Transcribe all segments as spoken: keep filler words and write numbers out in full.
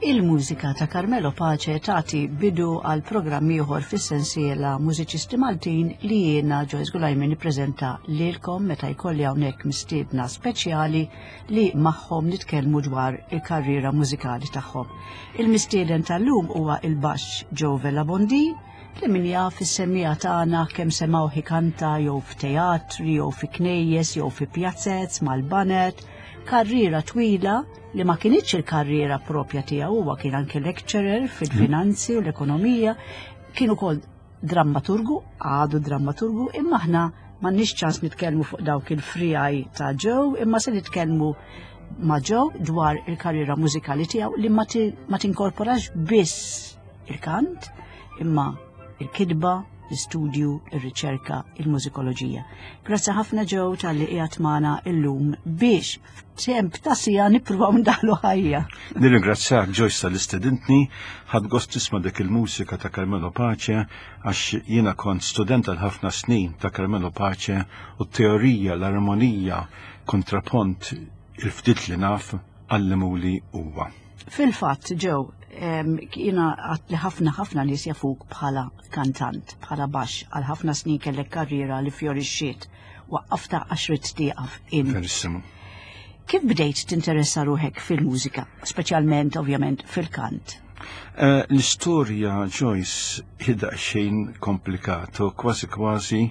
Il-mużika ta' Carmelo Pace tagħti bidu għal programm ieħor fis-sensiela Mużiċisti Maltin li jiena, Joyce Gulajmi, nippreżenta lilkom meta jkolli hawnhekk mistiedna speċjali li magħhom nitkellmu dwar il-karriera mużikali tagħhom. Il-mistieden tal-lum huwa il-baxx Joe Vella Bondi, li min jaf is-semmiegħa tagħna kemm semgħuh ikanta jew f'teatri jew fi knejjes jew fi pjazzez mal-baned. Karriera twila li ma kinitx il-karriera propja tiegħu. Huwa kien anke lecturer fil-finanzi u l-ekonomija, kien ukoll drammaturgu, għadu drammaturgu, imma aħna m'għandniex ċans nitkellmu fuq dawk il-friegħi ta' Joe, imma se nitkellmu ma' Joe dwar il-karriera mużikali tiegħu li ma tinkorporax biss il-kant, imma il-kitba, l-istudju, il-riċerka, il-mużikoloġija. Grazzi ħafna, Joe, talli qiegħed magħna illum biex f'temp ta' siegħa nippruvaw ndaħlu ħajja. Nirringrazzjak, Joyce, tal-istedintni, ħadt gost nisma' dik il-mużika ta' Carmelo Pace għax jiena kont student għal ħafna snin ta' Carmelo Pace u t-teorija, l-armonija, kontrapont, il-ftit li naf għallimuli huwa. Fil-fatt, Joe, jiena għat li ħafna ħafna nies jafuk bħala kantant, bħala baxx, għal ħafna snin kellek karriera li fjorixxiet, waqqafta għax ridt tieqaf in. Verissimo. Kif bdejt tinteressa ruħek fil-mużika, speċjalment ovvjament fil-kant? Eh, L-istorja, Joyce, hi daqsxejn komplikato, kważi kważi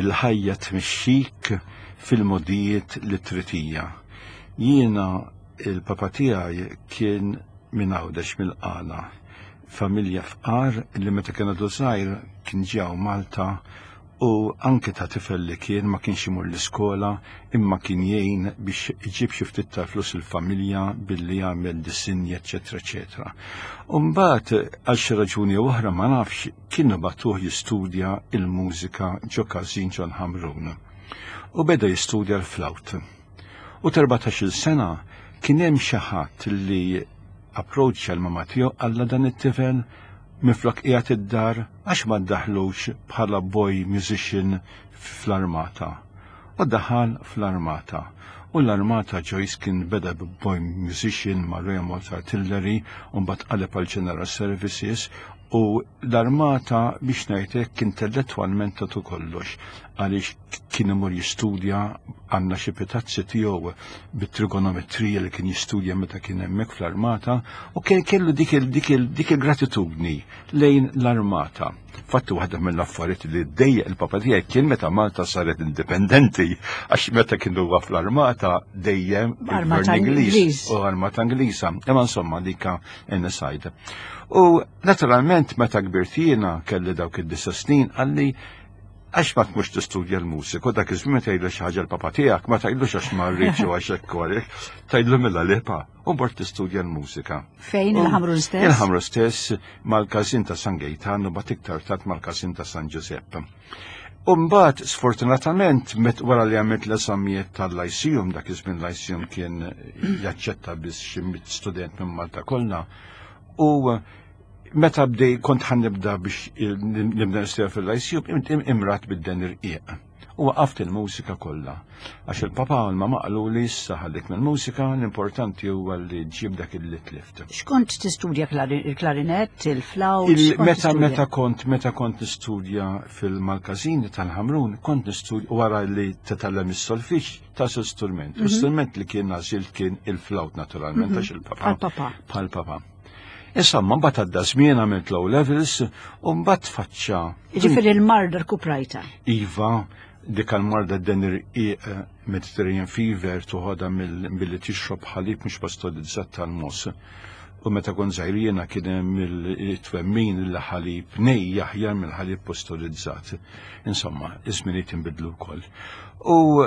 il-ħajja tmexxik fil-modijiet li trid hija. Jiena il-papa tiegħi kien minn Għawdex, mill-Qala. Familja fqar li meta kien għadu żgħir kien ġew Malta u anke ta' tifel li kien ma kienx imur l-iskola, imma kien jgħin biex iġib xi ftit ta' flus il-familja billi jagħmel disinji, eċetera eċetera. U mbagħad għal xi raġuni oħra, ma nafx, kienu bagħtuh jistudja il-mużika ġo każin ġo Ħamrun. U beda jistudja l-flawt. U t'erbatax-il sena kien hemm xi ħadd li approċċja l-mama tiegħu, qalla dan it-tifel minflok qiegħed id-dar għax ma ddaħlux bħala boy musician fl-armata. U daħal fl-armata. U l-armata, Joyce, kien beda boy musician ma' Royal Malta Artillery u mbagħad qaleb għal General Services, u l-armata, biex ngħidlek, intellettwalment tatu kollox għaliex kien imur jistudja, għandna xi pitazzi tiegħu bit-trigonometrija li kien jistudja meta kien hemmhekk fl-armata, u kien kellu dik dik il-gratitudni lejn l-armata. Fattu waħda mill-affarijiet li ddejjaq il-papa tiegħi kien meta Malta saret indipendenti, għax meta kienu huwa fl-armata dejjem Armata Ingliż u armata Ingliża. Imma insomma, dika inside. U naturalment meta kbirt jiena, kelli dawk id-disa' snin, qalli għax ma tmux tistudja l-mużika, u dak iż-żmien tgħidlu xi ħaġa l-papa tiegħek, ma tgħidlux għax ma rridx u għax hekk għalek, tgħidlu mela le pa, u mort tistudja l-mużika. Fejn, il-Ħamrun stess? Il-Ħamrun stess, mal-każin ta' San Gejtan u mbagħad iktar tard mal-każin ta' San Giuseppe. U mbagħad sfortunatament met wara li għamilt l-eżamijiet tal-Lyceum, dak iż-żmien Lyceum kien jaċċetta biss xi mitt student minn Malta kollha, u meta bdej kont ħan nibda biex nibda nistudja fil-Lyceum, imradt bid-deni rqiq. U waqaft il-mużika kollha. Għax il-papa u l-mama qalu li issa ħallik mill-mużika, l-importanti huwa li ġib dak il tlift. X'kont tistudja, il-klarinett, il-flawt? Meta meta kont meta kont nistudja fil-Malkazini tal-Ħamrun, kont nistudja, wara li titgħallem is-solfeġġ ta' strument. Mhm. L-istrument li kien għażilt kien il-flawt naturalment, għax il-papa. Pal-papa. Pal-papa. Insomma, mbagħad għadda żmien, għamilt l-O levels u mbagħad faċċa. Ġifieri l-marda rkuprajta. Iva, dik il-marda d-deni rqiq, Mediterranean fever, toħodha billi tixrob ħalib mhux pastorizzat tal-mogħoż. U meta kont żgħir jiena kien hemm il-twemmin li ħalib nej aħjar mill-ħalib pastorizzat. Insomma, iż-żminijiet inbidlu wkoll. U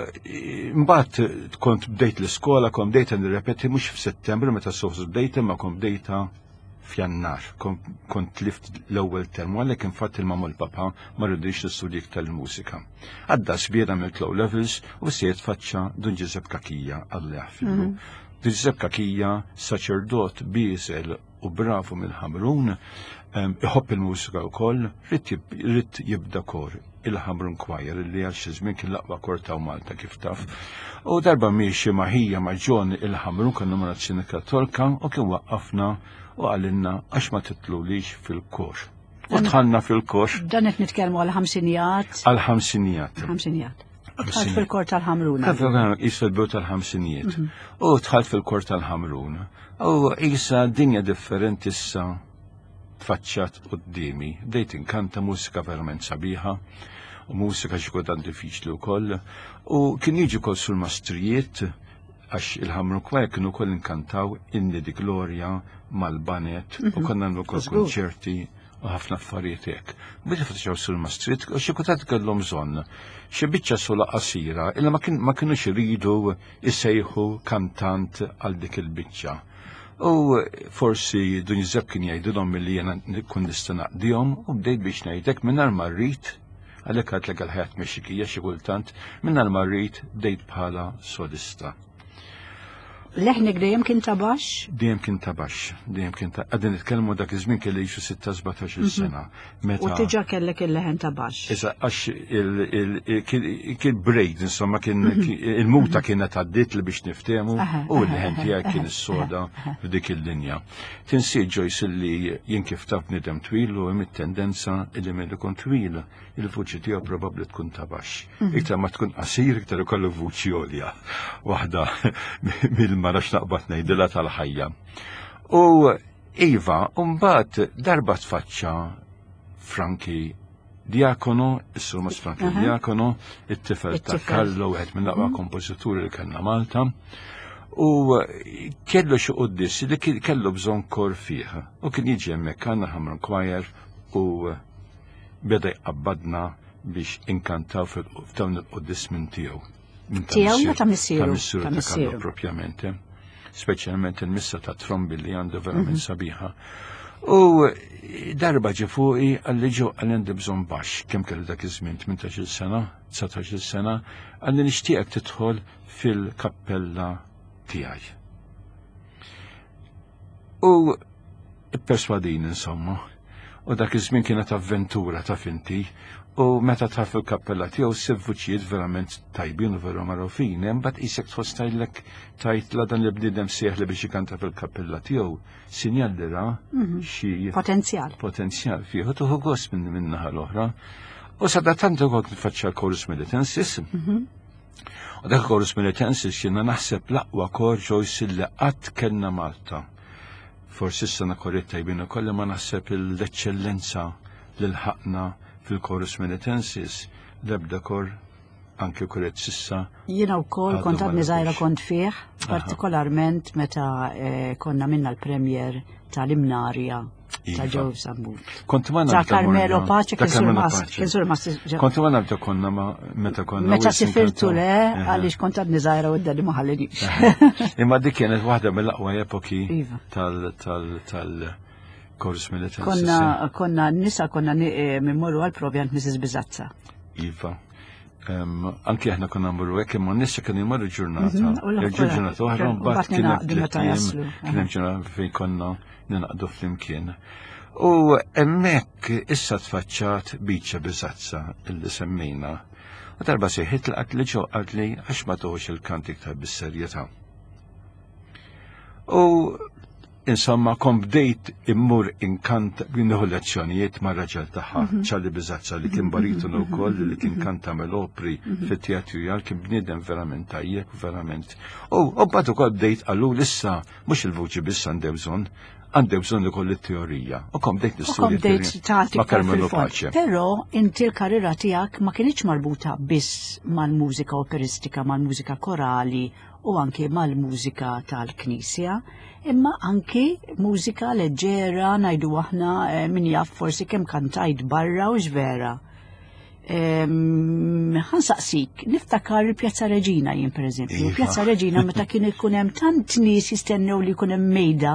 mbagħad kont bdejt l-iskola, kont bdejt nirrepeti mhux f'Settembru meta suppost bdejt, imma kont bdejta f'Jannar, kont tlift l-ewwel term, għalhekk infatti il-mama u l-papa ma ridux nistudja tal-mużika. Għadda żmien, għamilt O levels u siet faċċa Dun Giuseppe Cachia, Alla jaħfirlu. Mhm. Giuseppe Cachia, saċerdot bieżel u bravu mill-Ħamrun, iħobb il-mużika wkoll, ried jibda kor, il-Ħamrun Choir, li għal xi żmien kien l-aqwa kor ta' Malta kif taf. U darba miexi ma' ħija ma' John il-Ħamrun kien Numerazzjoni Kattolika u kien waqqafna u qalilna għax ma titlulix fil-kor. U dħalna fil-kor. Dan qed nitkellmu għal ħamsinijat. Għal ħamsinijat. Ħamsinijat. Dħalt fil-kor tal-Ħamrun. Issa l-bidu tal-ħamsinijiet. U dħalt fil-kor tal-Ħamrun. U issa dinja differenti issa tfaċċat quddiemi. Bdejt inkanta mużika verament sabiħa u mużika xi kultant diffiċli wkoll. U kien jiġi kol sul mastrijiet għax il-Ħamrun Choir kienu wkoll inkantaw Inni di Gloria mal-baned u konna nagħmlu wkoll konċerti u ħafna affarijiet hekk. Biex faċċaw sul mastrijiet u xi kultant kellhom bżonn xi biċċa sola qasira illa ma kinux iridu jsejħu kantant għal dik il-biċċa. U forsi Dun Giuseppe kien jgħidilhom milli jiena nkun nista' naqdihom u bdejt biex ngħidlek mingħajr ma rrid, għalhekk għedtlek għall-ħajja tmexxikija xi kultant, mingħajr ma rrid bdejt bħala solista. Leħnek dejjem kien ta' baxx? Dejjem kien ta' baxx, dejjem kien ta' qegħdin nitkellmu dak iż-żmien kelli xi sitta sbatax-il sena. U diġà kellek il-leħen ta' baxx. Issa għax kien braid, insomma, kien il-muta kienet għaddiet li biex niftehmu u l-leħen tiegħi kien is-soda f'dik il-linja. Tinsi Joyce li jien kif taf bniedem twil u hemm it-tendenza li minn ikun twil il-vuċi tiegħu probabbli tkun ta' baxx. Iktar ma tkun qasir iktar ikollu vuċi għolja. Waħda mill ma nafx naqbad ngħidilha tal-ħajja. U iva, mbagħad darba tfaċċa Franki Diacono, is-Sur Franki Diacono, it-tifel ta' Carlo, wieħed minn l-aqwa kompożituri li kellna Malta. U kellu xi quddis li kellu bżonn kor fih. U kien jiġi hemmhekk għandna Ħamrun Choir u beda jqabbadna biex inkantaw f'dawn il-quddis minn tiegħu. Tiegħu ta' missieru. Ta' missieru ta' Carlo propjament. Speċjalment il-missa ta' trombi li għandu verament sabiħa. U darba ġie fuqi qalli ġo qalli għandi bżonn baxx, kemm kellu dak iż-żmien, tmintax-il sena, dsatax-il sena, qalli nixtieqek tidħol fil-kappella tiegħi. U ipperswadini insomma. U dak iż-żmien kienet avventura ta' finti. U meta taf fil-kappella tiegħu ssib vuċijiet verament tajbin u veru magħrufin, imbagħad qisek tħoss tgħidlek tgħid la dan li bniedem sejjaħ li biex ikanta fil-kappella tiegħu, sinjal li ra xi potenzjal. Potenzjal fih, u tuħu gost minn min-naħa l-oħra. U sadattant ukoll nfaċċa l-Chorus Melitensis. U dak il-Chorus Melitensis jiena naħseb l-aqwa kor Joyce li qatt kellna Malta. Forsi issa korijiet tajbin ukoll ma naħseb l-eċċellenza li lħaqna fil-Chorus Melitensis, l-ebda kor anke korijiet sissa. Jiena wkoll kont għadni żgħira kont fih, partikolarment meta konna minna l-premier tal-Imnarja ta' Joe Sammut. Kont ma Ta' Carmelo Pace, Ta' Carmelo Pace. kien sur mas. Kont ma nabda konna ma meta konna. Meta sifirtu le, għaliex kont għadni żgħira u d-dadi ma ħallinix. Imma dik kienet waħda mill-aqwa epoki tal tal tal Chorus Melitensis. Konna konna nisa konna mimmorru għal provi għand Missus Bizazza. Iva. Anki aħna konna mmorru hekk imma nisa kienu jmorru ġurnata. Ġurnata oħra mbagħad kien hemm kien hemm ġurnata fejn konna ninaqdu flimkien. U hemmhekk issa tfaċċat Biċċa Bizazza illi semmejna. U darba sejħit li qalt li ġo qalt li għax ma toħux il-kant iktar bis-serjetà. U insomma kon bdejt immur inkant nieħu lezzjonijiet ma' raġel tagħha, Ċarli Bizazza li kien baritonu wkoll li kien kanta mill-opri fit-teatru jgħal kien bniedem verament tajjeb, verament. U mbagħad ukoll bdejt qalu issa mhux il-vuċi biss għandew bżonn, għandew bżonn ukoll it-teorija. U kom bdejt nistudja ma' Carmelo Pace. Però inti l-karriera tiegħek ma kinitx marbuta biss mal-mużika operistika, mal-mużika korali u anke mal-mużika tal-Knisja, imma anki mużika leġġera ngħidu aħna min jaf forsi kemm kantajt barra u x'vera. Ħansaqsik, niftakar il-Pjazza Reġina jien pereżempju. Pjazza Reġina meta kien ikun hemm tant nies jistennew li jkun hemm mejda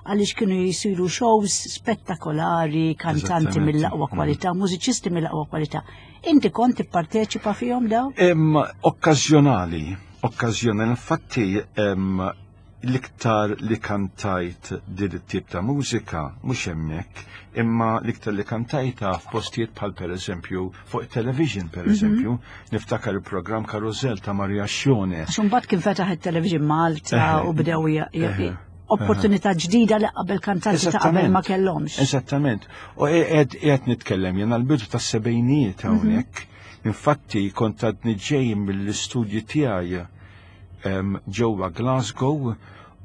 għaliex kienu jisiru shows spettakolari, kantanti mill-aqwa kwalità, mużiċisti mill-aqwa kwalità. Inti kont tipparteċipa fihom daw? Okkażjonali, okkażjonali, infatti L-iktar li kantajt din it-tip ta' mużika mhux hemmhekk, imma l-iktar li kantajta f'postijiet bħal pereżempju fuq television pereżempju, mm -hmm. niftakar il-programm Karusell ta' Maria Xjone. Xumbat kien fetaħ it-television Malta u bdew opportunità ġdida li qabel kantanti ta' qabel ma kellhomx. Eżattament. U qiegħed nitkellem jien għall-bidu tas-sebgħinijiet hawnhekk. Infatti kont għadni ġej mill-istudji tiegħi ġewwa Glasgow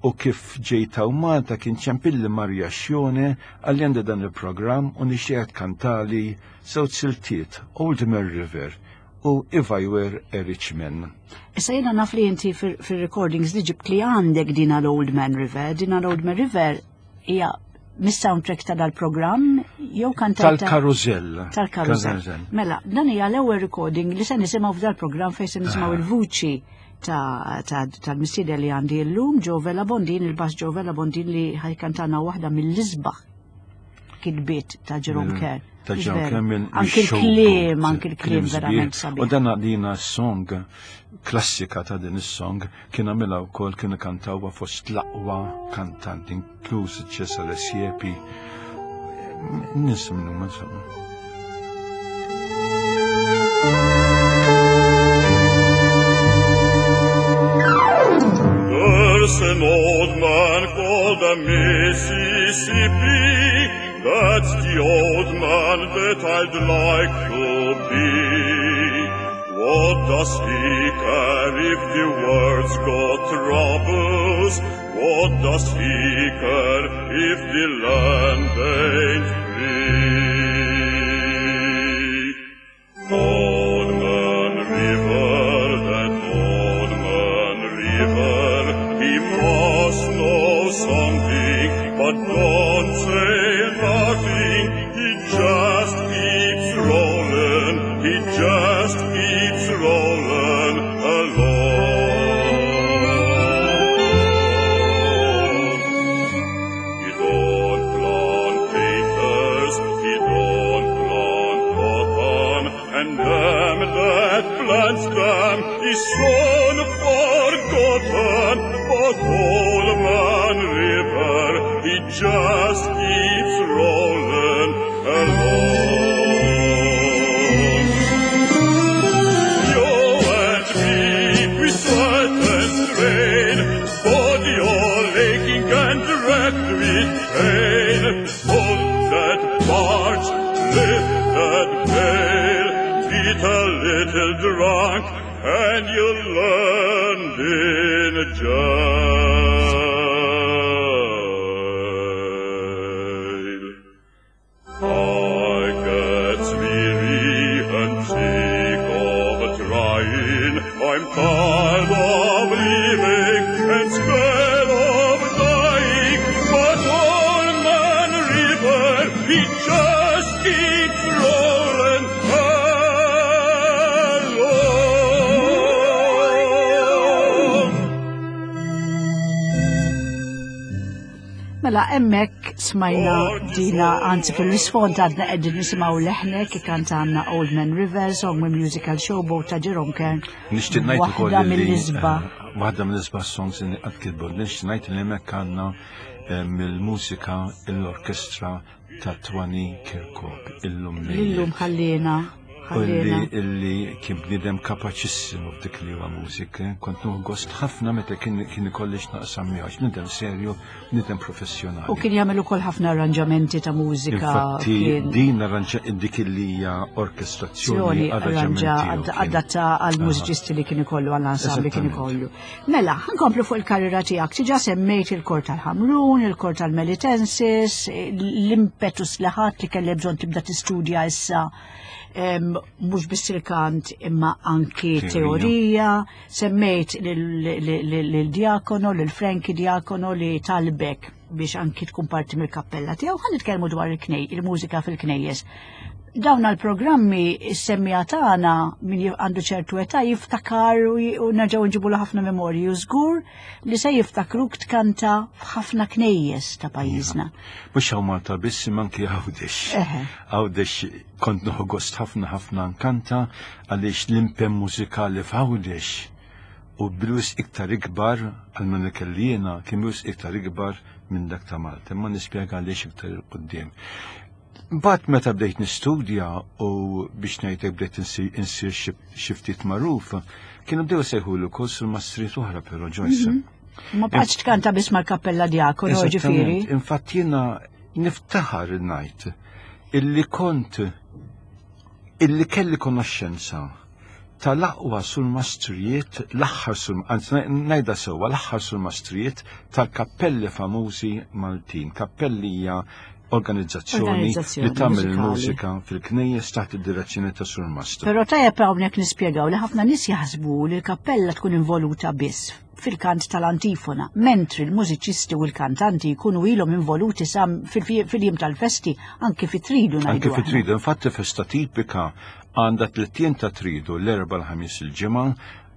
u kif ġejt hawn Malta kien ċempilli Maria Xjone għalli għandi dan il-programm u nixtieq kantali żewġ siltiet Old Man River u If I Were a Rich Man. Issa jiena naf li inti fir-recordings li ġibt li għandek din l-Old Man River, din l-Old Man River hija mis-soundtrack ta' dal-programm jew kantajta tal-Karusell. Tal-Karusell. Mela, dan hija l-ewwel recording li se nisimgħu f'dal-programm fejn se nisimgħu il-vuċi tal-mistieden li għandi llum, Joe Vella Bondin, il-bass Joe Vella Bondin li ħajkantana waħda mill-isbaħ kitbiet ta' Jerome Kern. Ta' Jerome Kern minn anki l-kliem, anki l-kliem verament sabiħ. U dan dina song klassika ta' din is-song kien għamilha wkoll kienu kantawha fost l-aqwa kantanti, inkluż Cesare Siepi. Nies minnhom insomma. There's an old man called the Mississippi. That's the old man that I'd like to be. What does he care if the world's got troubles? What does he care if the land ain't free? Old man river, that old man river, he must know something, but don't say nothing. He just keeps rolling, he just keeps rolling along. He don't plant papers, he don't plant cotton, and them that plants them is soon forgotten. But old man river, he just keeps rolling along. You and me, we sweat and strain, body all aching and racked with pain. Pull that barge, lift that pail, get a little drunk, and you'll land in jail. I get weary and sick of trying. I'm tired of living and scared of dying. But old man river, he just keeps rolling along. Mela, hemmhekk smajna dina, anzi fil-isfond għadna qegħdin nisimgħu leħnek ikantanna Old Man River, song minn musical Showboat ta' Jerome Kern. Nixtieq ngħid ukoll Waħda li, mill-isbaħ. eh, Waħda mill-isbaħ songs li qatt kitbu. Nixtieq ngħid li hemmhekk għandna eh, mill-mużika l-orkestra ta' Twani Kirkop illum Illum ħallina, U illi ħallina. illi kien bniedem kapaċissimu f'dik li huwa mużika. Kont nieħu gost ħafna meta kien kien ikolli x'naqsam miegħu, għax bniedem serju, bniedem professjonali. U kien jagħmel ukoll ħafna arranġamenti ta' mużika. Infatti kien din arranġa dik li hija orkestrazzjoni azzjoni arranġa arranġamenti tiegħu kien. adatta għal mużiċisti li kien ikollu għall ensemble li kien Eżattament. ikollu. Mela, ħankomplu fuq il-karriera tiegħek. Diġà semmejt il-kor tal-Ħamrun, il-kor tal-Melitensis, l-impetus li ħadd li kellek bżonn tibda tistudja issa em, mhux biss il-kant imma anki Teorija. teorija, semmejt lil Diacono, lil Frankie Diacono li talbek biex anki tkun parti mill-kappella tiegħu. Ħa nitkellmu dwar il-knej, il-mużika fil-knejjes. Dawn għal-programmi is-semmija tagħna min jif- għandu ċertu età jiftakar u j- u nerġgħu nġibu ħafna memorji u żgur li se jiftakruk tkanta f'ħafna knejjes ta' pajjiżna. Mhux hawn Malta biss imma anki Għawdex. Eħe. Għawdex kont nieħu gost ħafna ħafna nkanta għaliex l-impenn mużikali f'Għawdex U bil-wisq iktar ikbar, għal minn kelli jiena, kien bil-wisq iktar ikbar minn dak ta' Malta. Imma nispjega għaliex iktar 'il quddiem. Mbagħad meta bdejt nistudja u biex ngħidlek bdejt insir xi ftit magħruf, kienu bdew sejħulu wkoll surmastrijiet oħra però, Joyce. Mhm. Ma bqgħetx tkanta biss mal-Kappella Diacono, ġifieri. Infatti jiena niftaħar ngħid illi kont illi kelli konoxxenza tal-aqwa surmastrijiet, l-aħħar sul, anzi ngħidha sewwa, l-aħħar surmastrijiet tal-kappelli famużi Maltin. Kappelli hija organizzazzjoni li tagħmel il-mużika fil-knejjes taħt id-direzzjoni ta' surmastru. Però tajjeb hawnhekk nispjegaw li ħafna nies jaħsbu li l-kappella tkun involuta biss fil-kant tal-antifona, mentri l-mużiċisti u l-kantanti jkunu ilhom involuti sam fil-jiem tal-festi, anke fit-tridu ngħidu. Anke fit-tridu, infatti festa tipika għandha tliet ijiem ta' tridu, l-Erbgħa, l-Ħamis, il-Ġimgħa,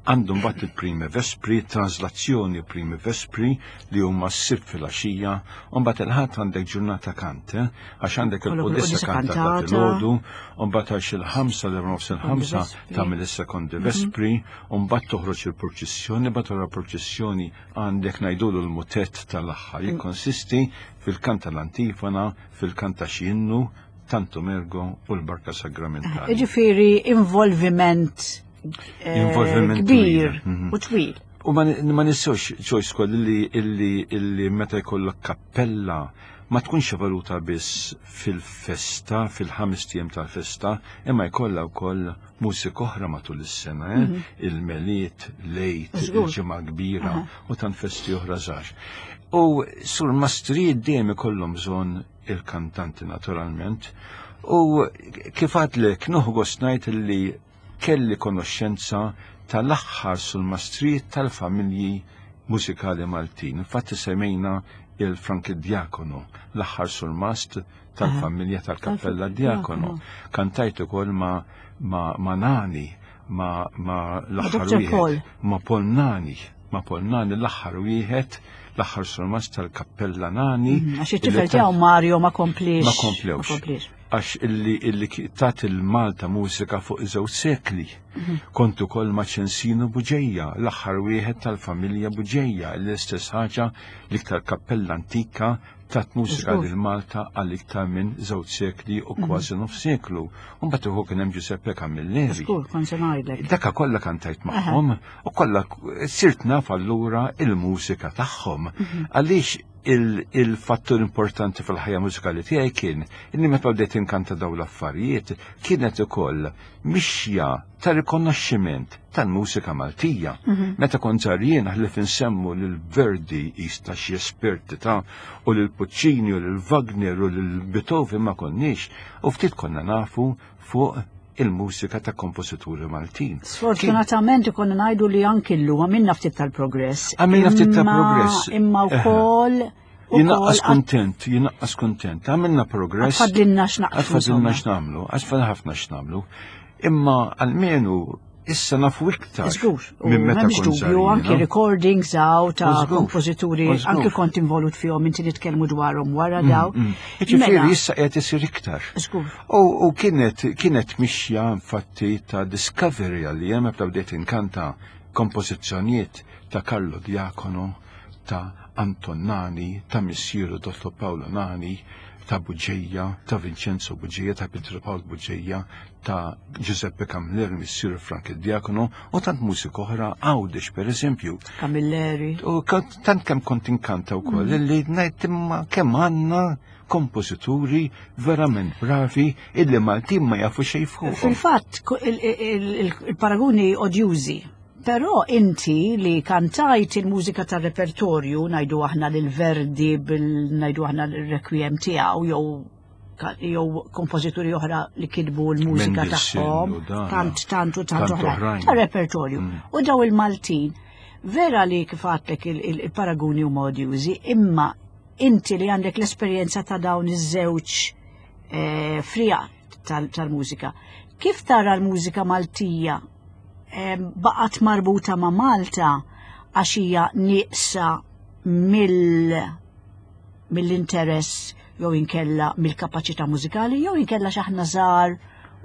għandu mbagħad il-primi vespri, translazzjoni primi vespri li huma s-Sibt filgħaxija, u mbagħad il-Ħadd għandek ġurnata kant, eh? Għax għandek il-quddiesa kantata filgħodu, u mbagħad għax il-ħamsa, l nofs il-ħamsa tagħmel is-sekondi mhm. vespri, u mbagħad toħroġ il-purċissjoni, mbagħad wara purċissjoni għandek ngħidulu l-mutett tal-aħħar, mm. jikkonsisti fil-kant tal-antifona, fil-kant ta' xi innu, Tantum Ergo u l-Barka Sagramentali. Ġifieri involviment eh, Involviment kbir twil. Mhm. u twil. U ma ma nistgħux, Joyce, koll illi illi illi meta jkollok kappella ma tkunx evoluta biss fil-festa, fil-ħames tiem tal-festa, imma jkollha wkoll mużika oħra matul is-sena, eh? Mhm. Il-Milied, l-Għid, Żgur. il-Ġimgħa Kbira u tant festi oħra żgħar. U surmastrijiet dejjem ikollhom bżonn il-kantanti, naturalment. U kif għadlek, nieħu gost ngħid li kelli konoxxenza tal-aħħar surmastrijiet tal-familji mużikali Maltin. Infatti semmejna il-Frank Diacono, l-aħħar surmast tal-familja tal-Kappella Diacono. Kantajt ukoll ma, ma, ma Nani, ma, ma l-aħħar Doctor Paul. wieħed, ma Paul Nani, ma Paul Nani, l-aħħar wieħed, l-aħħar surmast tal-Kappella Nani. Mhm, għax it-tifel illi ta- tiegħu Mario ma komplix. Ma komplewx. Ma komplix. Għax illi, illi ki- tat il-Malta mużika fuq żewġ sekli. Kont ukoll ma' Ċensino Buġeja, l-aħħar wieħed tal-familja Buġeja, l-istess ħaġa, l-iktar kappella antika tat mużika Żgur. lil Malta għal iktar minn żewġ sekli u kważi nofs seklu. U mbagħad ukoll kien hemm Giuseppe Camilleri. Żgur, kont se ngħidlek. Daka kollha kantajt magħhom u kollha sirt naf allura il-mużika tagħhom. Għaliex il-fattur importanti fil-ħajja mużikali tiegħi kien inni meta bdejt inkanta dawn l-affarijiet kienet ukoll mixja ta' rikonoxximent tal-mużika Maltija. Meta kont żgħir jien, ħlief insemmu lil Verdi jista' xi esperti ta' u lil Puccini u lil Wagner u lil Beethoven ma konniex u ftit konna nafu fuq il-mużika ta' kompożituri Maltin. Sfortunatament ikonna ngħidu li anki llum għamilna ftit tal-progress. Għamilna ftit Imma- tal-progress. Imma wkoll Jinaqqas kontent, jinaqqas kontent. Għamilna progress. Għad fadlilna x'naqfu. Għad fadlilna insomma. x'nagħmlu, għad fadlilna ħafna x'nagħmlu. Imma almenu issa nafu iktar. Żgur, u minn meta m'hemmx kont dubju, żgħir, anki no? recordings għaw ta' U żgur, kompożituri, u żgur. anki kont involut fihom inti, nitkellmu dwarhom wara daw. Mm. Ġifieri Mela, issa qiegħed isir iktar. Żgur. U, u kienet, kienet mixja infatti ta' discovery għalli meta bdejt inkanta kompożizzjonijiet ta' Carlo Diacono, ta' Anton Nani, ta' missieru Dottor Paolo Nani, ta' Buġeja, ta' Vincenzo Buġeja, ta' Pietro Paolo Buġeja, ta' Giuseppe Camilleri, missieru Frank Diacono, u tant mużika oħra Għawdex per eżempju. Camilleri. U kont- tant kemm kont inkanta wkoll illi ngħid imma kemm għandna kompożituri verament bravi illi Maltin ma jafu xejn fuqhom. Fil-fatt, ku- il- il- il- il-paragoni odjużi. Però inti li kantajt il-mużika tal-repertorju, ngħidu aħna lil Verdi bil ngħidu aħna l-requiem tiegħu jew ka- jew kompożituri oħra li kitbu l-mużika Mendelssohn tagħhom, u dan. tant tant u tant Tant oħrajn oħrajn. tar-repertorju. Mm. U daw il-Maltin, vera li kif għedtlek il- il- il-paragoni huma odjużi, imma inti li għandek l-esperjenza ta' dawn iż-żewġ eh, frija tal- tal-mużika. Kif tara l-mużika Maltija eh, baqgħet marbuta ma' Malta għax hija nieqsa mill mill-interess jew inkella mill-kapaċità mużikali jew inkella x'aħna żgħar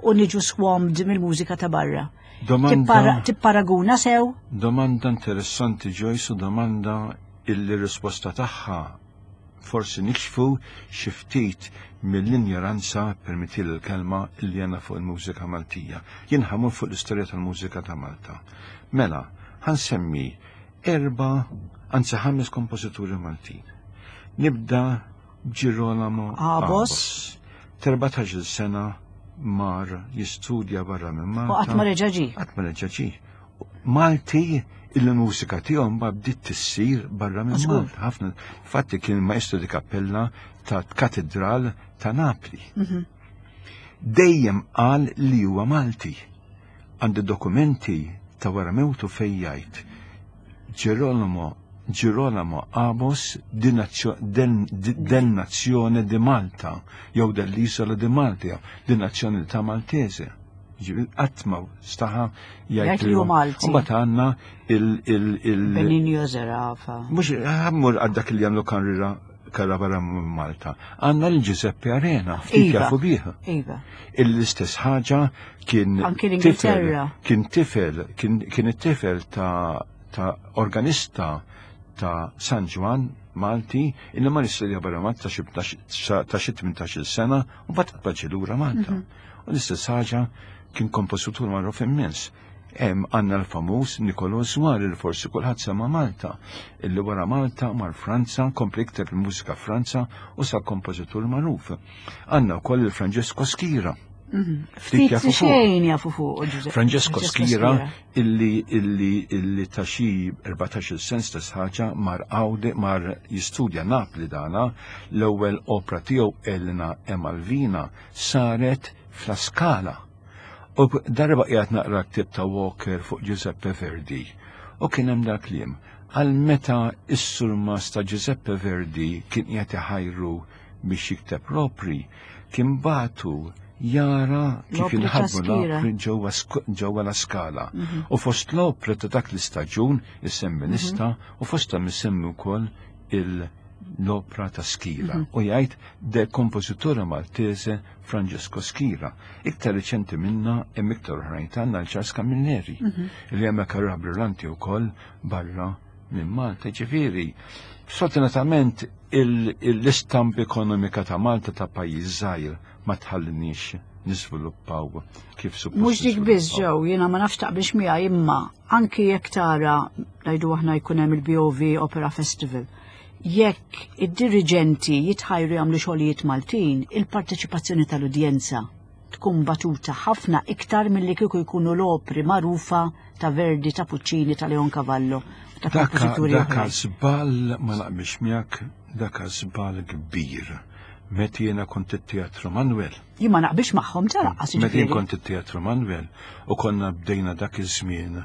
u niġu swamped mill-mużika ta' barra. Domanda Tipparaguna sew? Domanda interessanti, Joyce, u domanda illi risposta tagħha forsi nikxfu xi ftit mill-injoranza, permetti l-kelma, illi għandna fuq il-mużika Maltija. Jien ħa mmur fuq l-istorja tal-mużika ta' Malta. Mela, ħa nsemmi erba, anzi ħames kompożituri Maltin. Nibda Girolamo Abos. Erbatax-il sena mar jistudja barra minn Malta. U qatt ma reġa' ġie. Qatt ma reġa' ġie. Malti il-mużika tiegħu ma bdiet tissir barra minn Żgur. Malta. Ħafna fatti kien maestro di cappella ta' katedral ta' Napli. Mhm. Dejjem qal li huwa Malti. Għandi dokumenti ta' wara mewtu fejn jgħid Girolamo Girolamo Abos di nazio- del, di- del nazione di Malta jew dell'isola di Malta, di nazzjonalità Maltese. Ġifieri qatt ma staħa Jgħid li hu Malti. U mbagħad għandna il il il Benigno Zerafa. Mhux ħa mmur għal dak li għamlu karriera karra barra minn Malta. Għandna l-Giuseppe Arena, ftit Iva. jafu bih. Iva. L-istess ħaġa kien Anki tifel, l-Ingilterra. kien tifel, kien, kien it-tifel ta', ta' organista ta' San Ġwann Malti, illi mar jistudja barra Malta ta' xi ta' xi tmintax-il sena u mbagħad baġi lura Malta. Mhm. U l-istess ħaġa kien kompożitur magħruf immens. Hemm għandna l-famuż Nicolò Zwar li forsi kulħadd sema Malta, illi wara Malta mar Franza, kompli ikteb il-mużika Franza u sa kompożitur magħruf. Għandna wkoll il-Francesco Schira. Ftit jafu li fuq. xejn jafu fuq Giuseppe. Francesco Schira illi illi illi ta' xi erbatax-il sena stess ħaġa mar Għawde mar jistudja Napli dana l-ewwel opra tiegħu Elena e Malvina saret f'La Scala. U darba qiegħed naqra ktib ta' Walker fuq Giuseppe Verdi u kien hemm dak kliem għal meta is-surmas ta' Giuseppe Verdi kien qiegħed iħajru biex jikteb l-opri, kien bagħtu jara kif L-opri ta' inħadmu Schira. l-opri ġewwa sk- ġewwa la Scala. U fost l-opri ta' dak l-istaġun issemmi lista u fost isemmi wkoll il- l-opra ta' Schira. U jgħid de kompożitore Maltese Francesco Schira. Iktar riċenti minna hemm iktar oħrajn tagħna l-Charles Camilleri li hemm karriera brillanti wkoll barra minn Malta. Ġifieri, sfortunatament il- l-istampa ekonomika ta' Malta ta' pajjiż żgħir ma tħallinix niżviluppaw kif suppost. Mhux dik biss niżviluppaw. ġew, jiena ma nafx taqbilx miegħi imma anki jekk tara ngħidu aħna jkun hemm il-B O V Opera Festival. Jekk id-diriġenti jitħajru jagħmlu xogħlijiet Maltin, il-parteċipazzjoni tal-udjenza tkun batuta ħafna iktar milli kieku jkunu l-opri magħrufa ta' Verdi, ta' Puccini, ta' Leoncavallo, ta' Daka, kompożituri daka oħrajn. żball, ma naqbilx miegħek, daka żball kbir. Meta jiena kont it-Teatru Manuel. Jien ma naqbilx magħhom ta' lanqas Meta jien jiġifieri. kont it-Teatru Manuel u konna bdejna dak iż-żmien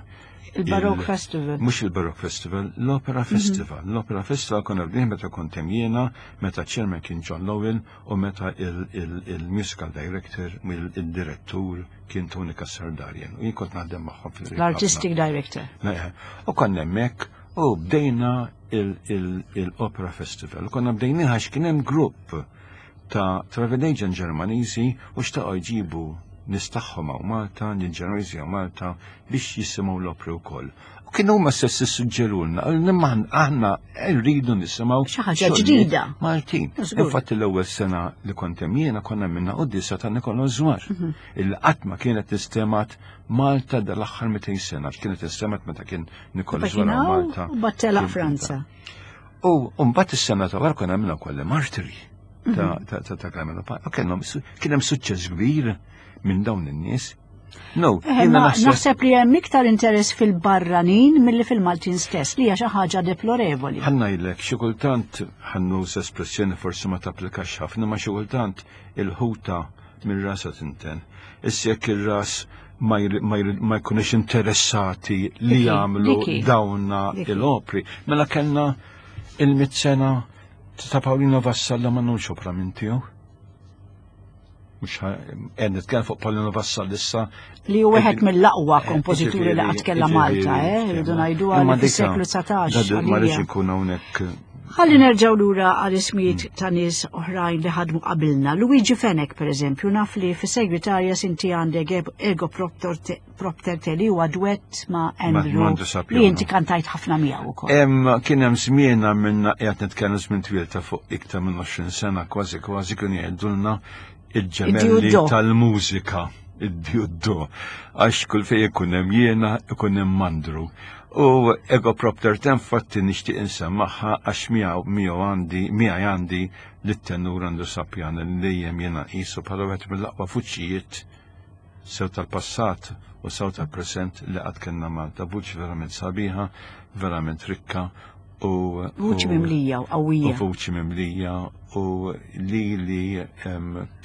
Il-Baroque il- Festival. Mhux il-Baroque Festival, l-Opera Festival. L-Opera Festival konna bdejna meta kont hemm jiena, meta chairman kien John Lowell u meta il-musical director, il-direttur kien Tony Cassar Darien. U jien kont naħdem magħhom fil L-Artistic Director. Ne, u konna hemmhekk u bdejna il-Opera Festival. U konna bdejna għax kien hemm grupp ta' travel agent Ġermaniżi u xtaqgħu jġibu nies tagħhom hawn Malta, l-Ġermaniżi hawn Malta biex jisimgħu l-opri wkoll. U kienu huma stess issuġġerulna, imma aħna rridu nisimgħu Xi ħaġa xogħlijiet ġdida. Maltin. Żgur. Infatti l-ewwel sena li kont hemm jiena konna minna qudiesa ta' Nicolò Zwar. Mhm. Il qatt ma kienet istemat Malta dal-aħħar mitejn sena, kienet istemat meta kien Nicolò Meta Zwar kien hawn hawn, Malta. u mbagħad telaq Kien- Franza. U mbagħad is-sena ta' wara konna għamilna wkoll martiri ta' ta' ta' ta' Carmelo Pane. U kellhom su- kien hemm suċċess kbir minn dawn in-nies. No, Eh, jiena ma naħseb naħseb li hemm iktar interess fil-barranin milli fil-Maltin stess, li hija xi ħaġa deplorevoli. Ħa ngħidlek, xi kultant ħa nuża espressjoni forsi ma tapplikax ħafna, ma xi kultant il-ħuta minn rasa tinten. Issa jekk ir-ras ma jri- ma jri- ma jkunux interessati li Diki, jagħmlu diki. dawna Diki. il-opri. Mela kellna il-mit sena ta' Paolino Vassallo ma nux opra minn tiegħu. Mhux qed nitkellem fuq Paolino Vassallo issa. Li hu wieħed mill-aqwa Eh, kompożituri li ġifieri- qatt kellha ġifieri, Malta, eh, rridu ngħidu Imma għal dika- fis-seklu dsatax. da- Ma rridx għalija. ikun hawnhekk Ħalli nerġgħu lura għal ismijiet ta' nies oħrajn li ħadmu qabilna. Luigi Fenech, per eżempju, naf li fis-segretarja inti għandek Ego Propter Te li huwa duett ma' Andrew li inti kantajt ħafna miegħu ukoll. Hemm kien hemm żmien minna qiegħed nitkellem żmien twil ta' fuq iktar minn għoxrin sena kważi kważi kienu jgħidulna il-ġemelli tal-mużika, id-djuddu, għax kull fejn ikun hemm jiena ikun hemm Andrew. U Ego Propter Te infatti nixtieq insemmaħħa għax miegħu miegħu għandi miegħi għandi lit-tenur Andrew Sapiano li dejjem jiena nqisu bħala wieħed mill-aqwa vuċijiet sew tal-passat u sew tal-preżent li qatt kellna Malta. Vuċi verament sabiħa, verament rikka u vuċi mimlija u qawwija. U vuċi mimlija u li li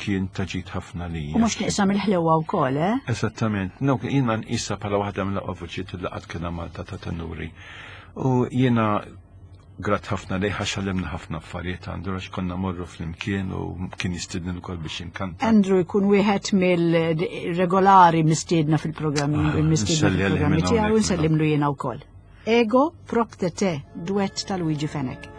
kien taġit ħafna lija. U mhux nieqsam il-ħlewa wkoll, eh? Eżattament. No, jiena nqisha bħala waħda mill-aqwa vuċijiet li qatt kellna Malta ta' tenuri. U jiena grat ħafna lejh għax għallimna ħafna affarijiet Andrew għax konna morru flimkien u kien jistidni wkoll biex inkanta. Andrew jkun wieħed mill-regolari mistiedna fil-programmi, il-mistiedna fil-programmi tiegħu nsellimlu jiena wkoll. Ego Propter Te, duett ta' Luigi Fenech.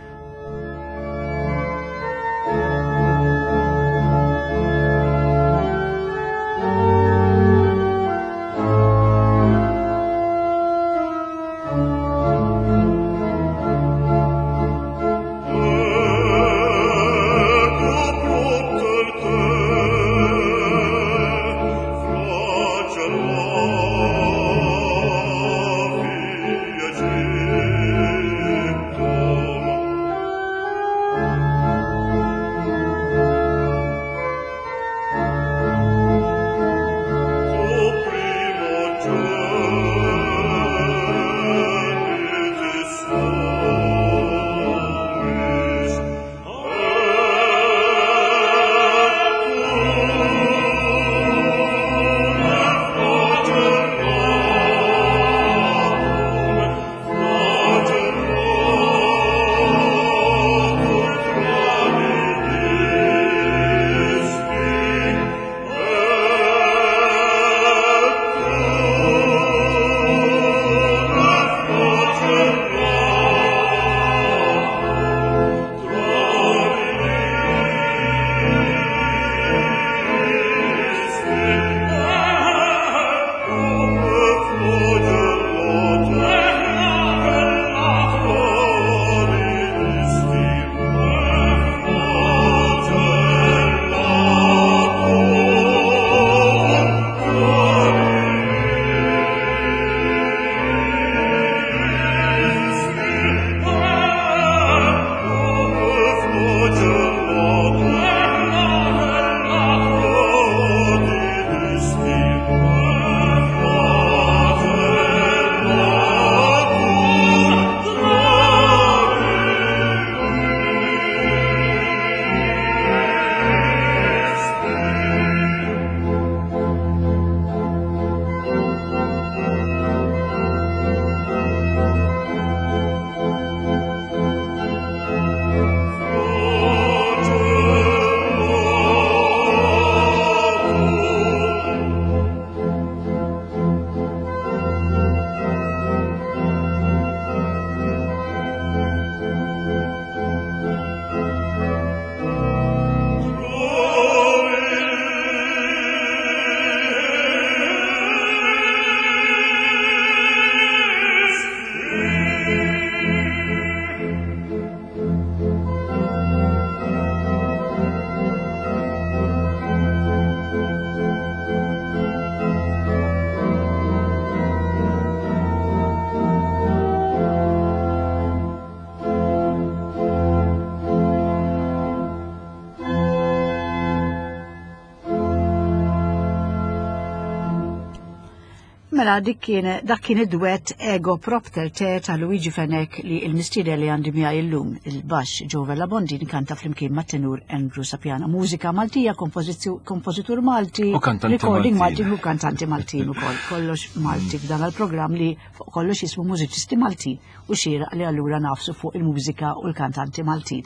Mela dik kien dak kien id-duett Ego Propter Te ta' Luigi Fenech li l-mistieden li għandi miegħi llum, il-baxx Joe Vella Bondin kanta flimkien mat-tenur Andrew Sapiano. Mużika Maltija, kompożitur Malti, recording Malti u kantanti Maltin ukoll. Kollox Malti f'dan il-programm li fuq kollox jismu Mużiċisti Maltin u xieraq li allura nafsu fuq il-mużika u l-kantanti Maltin.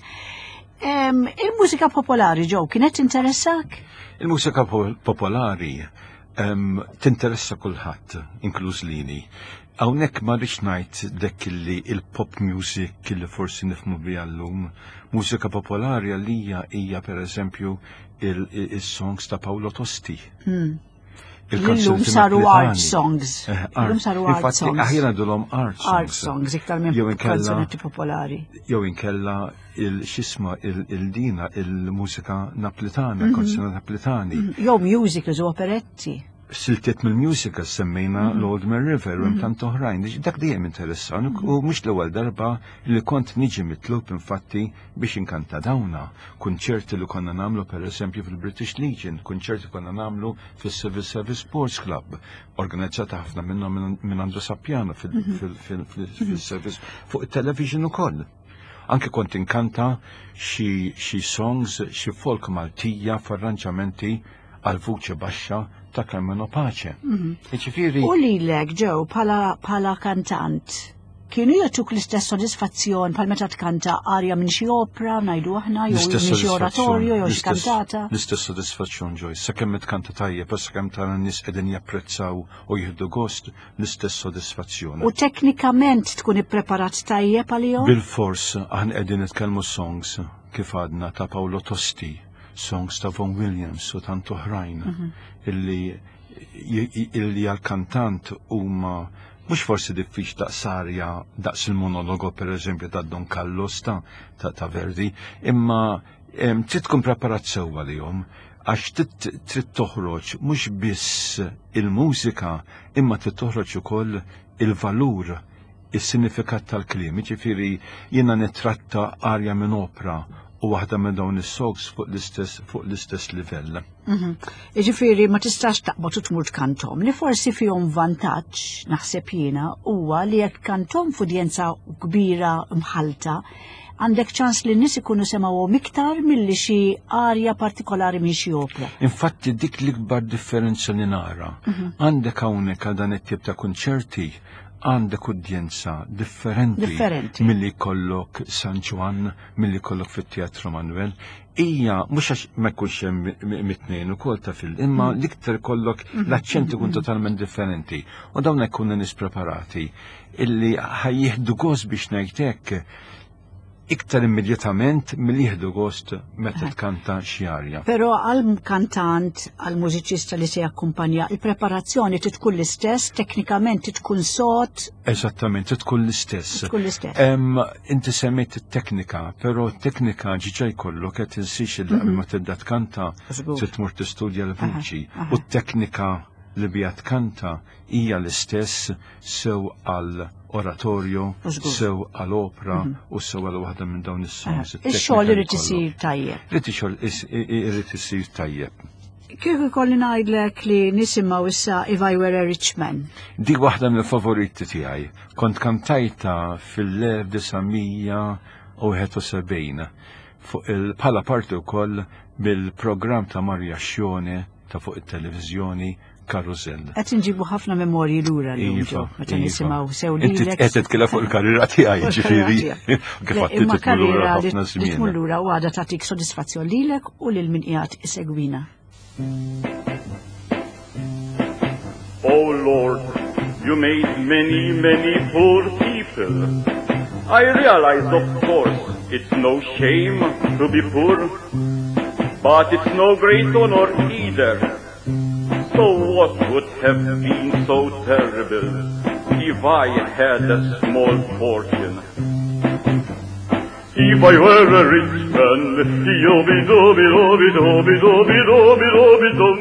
Il-mużika popolari, Joe, kienet interessak? Il-mużika popolari tinteressa kulħadd, inkluż lili. Hawnhekk ma rridx ngħid dak li il-pop music li forsi nifhmu biha llum. Mużika popolari għalija hija pereżempju il-songs ta' Paolo Tosti. Hmm. Illum saru art songs. Eh, Illum saru art songs. Aħjar ngħidulhom art songs. Art songs, iktar minn kanzunetti popolari. Jew inkella il-xisma il-dina il-mużika naplitana, mhm. kanzunetta naplitani. Mhm. Jew musicals u operetti. Siltiet mill-musical semmejna mhm. l-Old Man River u hemm tant oħrajn. Dak dejjem interessan u mhux l-ewwel darba li kont niġi mitlub infatti biex inkanta dawna. Kunċerti li konna nagħmlu pereżempju fil-British Legion, kunċerti konna nagħmlu fis-Civil Service Sports Club, organizzata ħafna minnhom minn Andro Sappiano fil-service fuq it-television ukoll. Anke kont inkanta xi songs, xi folk Maltija f'arranġamenti għal vuċi baxxa ta' Carmelo Pace. Mhm. Jiġifieri. U lilek ġew bħala kantant, kienu jagħtuk l-istess sodisfazzjon bħal meta tkanta arja minn xi opra, ngħidu aħna, jew minn xi oratorju, jew xi kantata? L-istess sodisfazzjon, Joyce, sakemm tkanta tajjeb, sakemm tara n-nies qegħdin japprezzaw u jieħdu gost, l-istess sodisfazzjon. U teknikament tkun ippreparat tajjeb għalihom? Bil-fors, aħna qegħdin nitkellmu songs kif għadna ta' Paolo Tosti, songs ta' Vaughan Williams u tant oħrajn mhm. illi illi għal-kantant huma mhux forsi diffiċ daqs arja daqs il-monologo per eżempju ta' Don Carlos ta' ta' Verdi, imma trid tkun preparat sewwa lihom għax trid toħroġ mhux biss il-mużika imma trid toħroġ ukoll il-valur, is-sinifikat tal-kliem. Ġifieri jiena nitratta arja minn opra u waħda minn dawn is-songs fuq l-istess fuq l-istess livell. Mhm. Jiġifieri ma tistax taqbad u tmur tkantom li forsi fihom vantaġġ naħseb jiena huwa li jekk kantom f'udjenza kbira mħalta għandek ċans li n-nies ikunu semgħuhom iktar milli xi arja partikolari minn xi opra. Infatti dik l-ikbar differenza li nara. Mhm. Għandek hawnhekk għal dan it-tip ta' kunċerti għandek udjenza differenti, differenti. milli kollok San Ġwann, milli kollok fit-Teatru Manuel. Ija, mhux għax ma jkunx hemm mit-tnejn ukoll ta' fil, imma mm. l-iktar kollok mm-hmm. l-aċċent ikun mm-hmm. totalment differenti. U dawn jkunu nies preparati illi ħa jieħdu gost biex ngħidlek iktar immedjatament milli jieħdu gost meta tkanta xi arja. Però għal kantant, għal mużiċista li se jakkumpanja, il-preparazzjoni trid tkun l-istess, teknikament trid tkun sod. Eżattament, trid tkun l-istess. Tkun l-istess. Inti semmejt it-teknika, però t-teknika ġiġa jkollok qed tinsix il mhm. ma tibda tkanta trid tmur tistudja l-vuċi u t-teknika li bija tkanta hija l-istess sew għal oratorju, sew għal opra mhm. u sew għal waħda minn dawn is-songs. Ix-xogħol irid isir tajjeb. Irid ix-xogħol irid isir tajjeb. Kif ikolli ngħidlek li nisimgħu issa If I Were a Rich Man? Dik waħda mill-favoriti tiegħi. Kont kantajta fil-elf disa' mija u wieħed u sebgħin fuq il bħala parti wkoll bil-programm ta' Maria Ascione ta' fuq it-televiżjoni Karusell. Qed inġibu ħafna memorji lura llum, Iva, Joe, meta iva. nisimgħu sew Inti lilek. qed titkellem fuq il-karriera tiegħi, Fuq ġifieri. il-karriera tiegħek. Kif Le, għad imma titmur lura karriera li ħafna li żmien. tmur lura u għadha tagħtik sodisfazzjon lilek u lil min qiegħed isegwina. Oh Lord, you made many, many poor people. I realize, of course, it's no shame to be poor, but it's no great honor either. So what would have been so terrible if I had a small fortune? If I were a rich man, yo-bi-do-bi-do-bi-do-bi-do-bi-do-bi-do-bi-dum.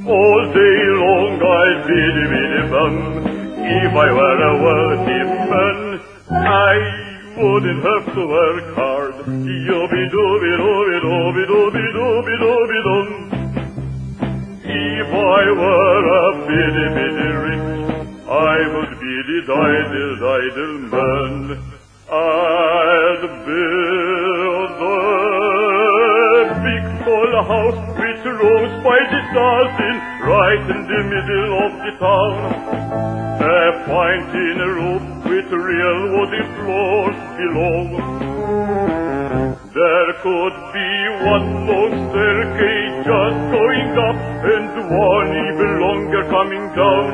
All day long I'd biddy biddy bum. If I were a wealthy man, I wouldn't have to work hard. Yo-bi-do-bi-do-bi-do-bi-do-bi-do-bi-do-bi-dum. If I were a bitty bitty rich, I would be the idle, idle man. I'd build a big tall house with rooms by the dozen, right in the middle of the town. A fine tin roof with real wooden floors below. There could be one long staircase just going up and one even longer coming down.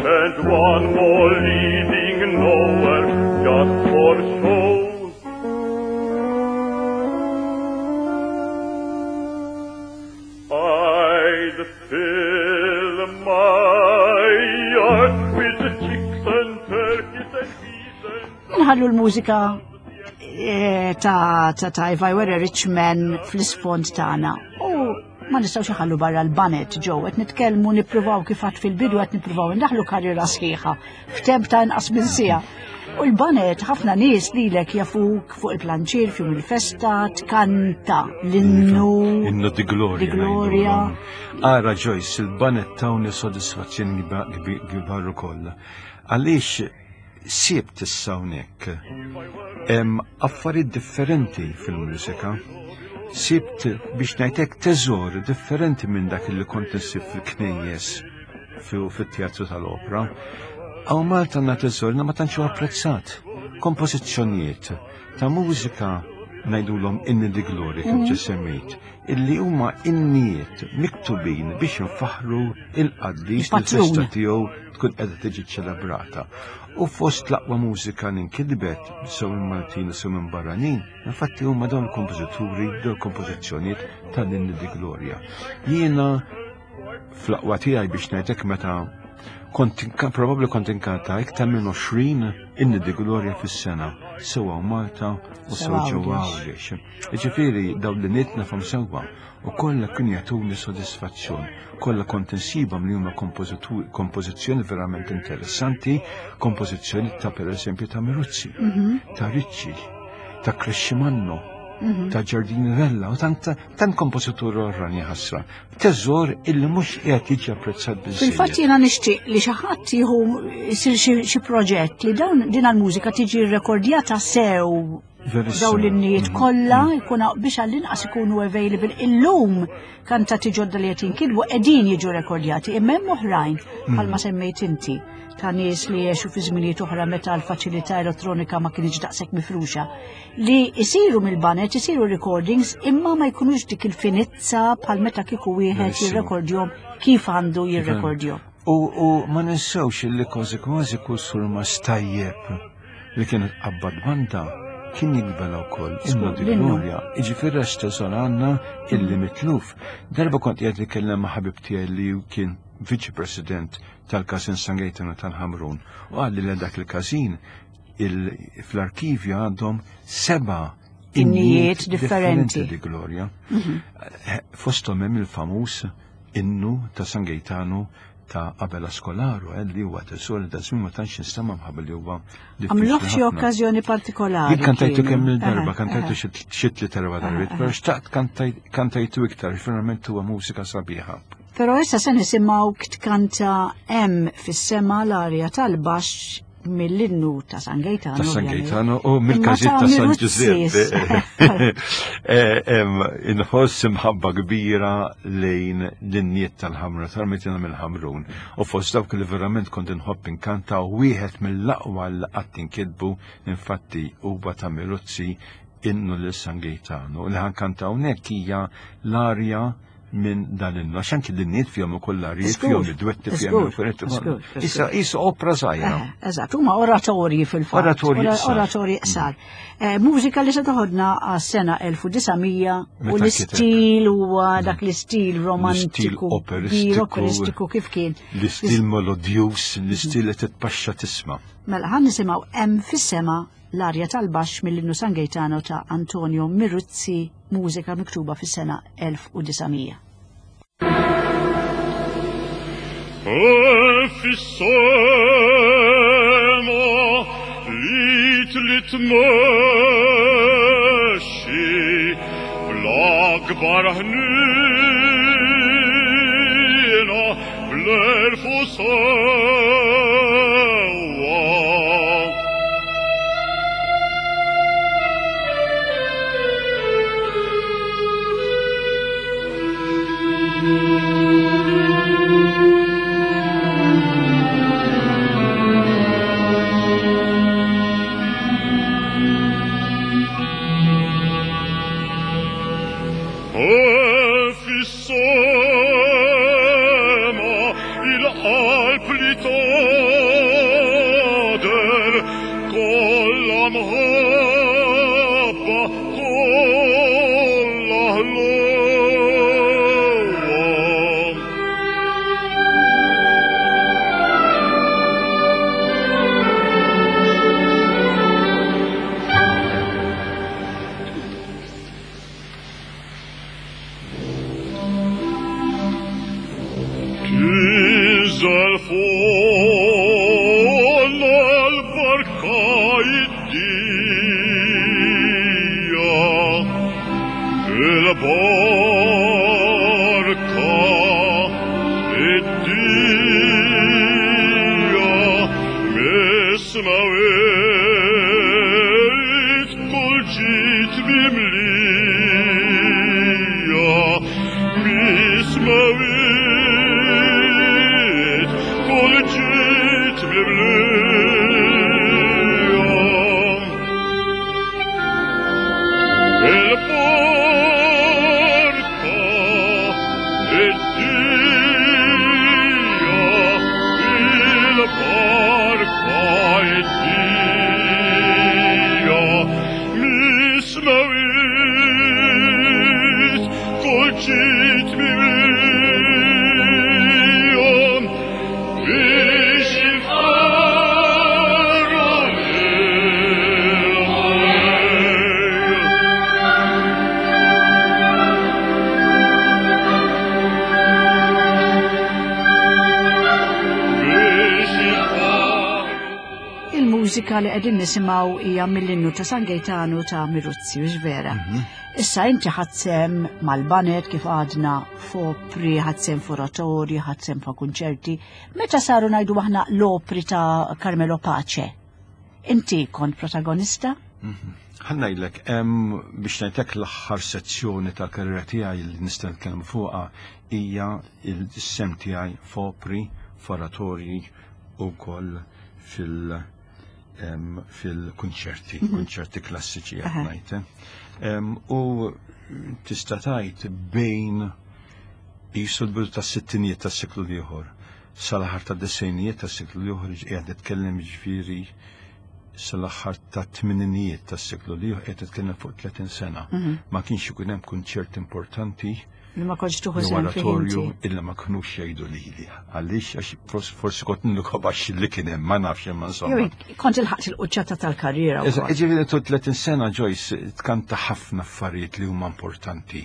And One more leading nowhere, just for show. I'd fill my yard with the chicks and turkeys and geese and Nħallu l-mużika eh, ta' ta' ta' If I Were a Rich Man fl-isfond tagħna. U ma nistgħux nħallu barra l-baned ġew qed nitkellmu nippruvaw kif għedt fil-bidu qed nippruvaw indaħlu karriera sħiħa f'temp ta' inqas minn siegħa. U l-baned ħafna nies lilek jafuk fuq il-planċir fjum il-festa, tkanta l-innu. Innu di Gloria. Di Gloria. ngħidulhom. Ara Joyce, il-baned tawni sodisfazzjoni kbar ukoll. Għaliex sibt issa hawnhekk hemm affarijiet differenti fil-mużika. Sibt biex ngħidlek teżor differenti minn dak li kont insib fil-knejjes fit-teatru tal-opra. Hawn Malta għandna teżor ma tantx huwa apprezzat. Kompożizzjonijiet ta' mużika ngħidulhom inni di gloria kif ġa semmejt, illi huma innijiet miktubin biex nfaħru il-qaddis li Il-patrun. l-festa tiegħu tkun qiegħda tiġi ċelebrata. U fost l-aqwa mużika li nkitbet sew minn Maltin u sew minn barranin, infatti huma dawn il-kompożituri, dawn il-kompożizzjonijiet tal-inni di gloria. Jiena fl-aqwa tiegħi biex ngħidlek meta kont inka- probabbli kont inkanta iktar minn għoxrin inni di gloria fis-sena, sewwa Malta u sew Sewa ġewwa Għawdex. Għawdex. Jiġifieri dawn l-innijiet nafhom sewwa u kollha kienu jagħtuni sodisfazzjon. Kollha kont insibhom li huma kompożitu- kompożizzjoni verament interessanti, kompożizzjoni ta' pereżempju ta' Miruzzi, ta' Ricci, ta' Crescimanno, ta' Giardini Vella u tant tant kompożitur oħrajn ħasra. Teżor illi mhux qiegħed jiġi apprezzat biżżejjed. Fil-fatt jiena nixtieq li xi ħadd jieħu jsir xi xi proġett li dawn din il-mużika tiġi rrekordjata sew Verissimo. dawn l-innijiet Mhm. kollha jkun biex għall-inqas ikunu available. Illum kantati ġodda li qed jinkitbu qegħdin jiġu rekordjati, imma hemm oħrajn bħalma semmejt inti ta' nies li jgħixu fi żminijiet oħra meta l-faċilità elettronika ma kienx daqshekk mifruxa li isiru mill-baned, isiru recordings imma ma jkunux dik il-finizza bħal meta kieku wieħed Verissimo. jirrekordjhom kif għandu jirrekordjhom. U, u ma ninsewx li kważi kważi kull surmast tajjeb li kienet qabbad banda kien jikbela wkoll innu di l-innu. Gloria. Jiġifieri għax teżor għandna illi mitluf. Darba kont qiegħed nitkellem ma' ħabib tiegħi li kien viċi president tal-Każin San Gaetano tal-Ħamrun u qalli li dak il-każin il- fl-arkivju għandhom seba' Innijiet differenti. di Gloria. Eh, Fosthom hemm il-famuż innu ta' San Gaetano ta' Abela Scolaro, eh, li huwa teżor li da żmien ma tantx nistema' mħabba li huwa diffiċli Għamluh xi ħafna. okkażjoni partikolari. Jien kantajtu kienu. kemm il-darba, Eħe, kantajtu eħe. xi xi tliet erba' darbiet, però xtaqt kantaj- kantajtu iktar, verament huwa mużika sabiħa. Però issa se nisimgħu tkanta hemm fis-sema l-arja tal-baxx mill-innu ta' San Gaetano. Ta' San ovvjament. Gaetano u mill-każin Imma ta' San Miruzzi. Giuseppe. Eh, em, Inħoss imħabba kbira lejn l-innijiet tal-ħamra, tal-metina mill-Ħamrun. U fost dawk li verament kont inħobb inkanta u wieħed mill-aqwa li qatt inkitbu infatti huwa ta' Miruzzi innu lil San Gaetano. Li ħa nkanta hawnhekk hija l-arja minn dan l-innu. Għax anki l-innijiet fihom ukoll l-arjiet, Żgur, fihom id-dwetti, fihom żgur, il-furetti. żgur, Issa issa opra żgħira. Eh, Eżatt, huma oratorji fil-fatt. Oratorji Ora- qsar. Oratorji qsar. Eh, Mużika li se toħodna għas-sena elf u disa' mija u Meta l-istil huwa dak l-istil romantiku, operistiku. kbir, operistiku kif kien. L-istil melodjuż, l-istil li titpaxxa tisma'. Mela ħa nisimgħu hemm fis-sema l-arja tal-baxx mill-innu San Gaetano ta' Antonio Miruzzi, mużika miktuba fis-sena elf u disa' mija. Fis-sema li trid tmexxi bl-akbar ħniena bl-għerf u sewwa. Fis-sema il-qalb li Telefonna l-barka id-dija, il-barka id-dija, mis-smawit kull ġit mimlija, mis-smawit kull ġit mimlija. Il-barka id-dija, il-barka id-dija, mis-smawit kull ġit mimlija, biex jiftakru il-Mulej. Biex jiftakru Il-mużika li qegħdin nisimgħu hija mill-innu ta' San Gaetano ta' Miruzzi, mhux vera. Issa inti ħadt sehem mal-baned kif għadna f'opri, ħadt sehem f'oratorji, ħadt sehem fa' kunċerti. Meta saru ngħidu aħna l-opri ta' Carmelo Pace? Inti kont protagonista? Ħa ngħidlek, biex ngħidlek l-aħħar sezzjoni ta' karriera tiegħi li nista' nitkellem fuqha hija il-sehem tiegħi f'opri, f'oratorji u wkoll fil- em, fil-kunċerti, kunċerti klassiċi qed ngħid. eh. Em, U tista' tgħid bejn qisu l-bidu tas-sittinijiet tas-seklu l-ieħor sal-aħħar tad-disgħinijiet tas-seklu l-ieħor qiegħed nitkellem ġifieri sal-aħħar tat-tmeninijiet tas-seklu l-ieħor qiegħed nitkellem fuq tletin sena. Ma kienx ikun hemm kunċert importanti Li ma kontx tieħu jew sehem fih oratorju inti. illa ma kinux jgħidu lili. Għaliex għax fors- forsi kont nkobax li kien hemm, ma nafx imma insomma. Jew kont ilħaqt il-quċċata tal-karriera Eżatt, wkoll. Ġifieri tu tletin sena Joyce tkanta ħafna affarijiet li huma importanti.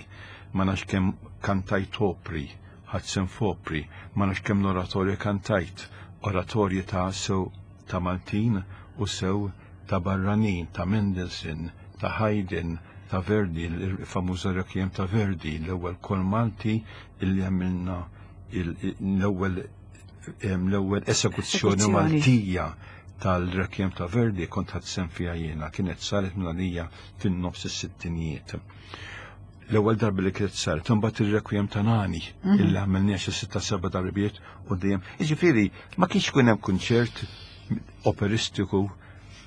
Ma nafx kemm kantajt opri, ħadt sehem f'opri, ma nafx kemm l-oratorju kantajt, oratorji ta' sew ta' Maltin u sew ta' barranin, ta' Mendelssohn, ta' Haydn, ta' Verdi, il-famuża Requiem ta' Verdi, l-ewwel kor Malti illi għamilna il- l-ewwel em, l-ewwel esekuzzjoni Esekuzzjoni. Maltija tal-Requiem ta' Verdi kont ħadt sehem fiha jiena, kienet saret minn għalija fin-nofs is-sittinijiet. L-ewwel darba li kienet saret, imbagħad ir-Requiem ta' Nani, illi għamilniha xi sitta seba' darbiet u dejjem. Jiġifieri ma kienx ikun hemm kunċert operistiku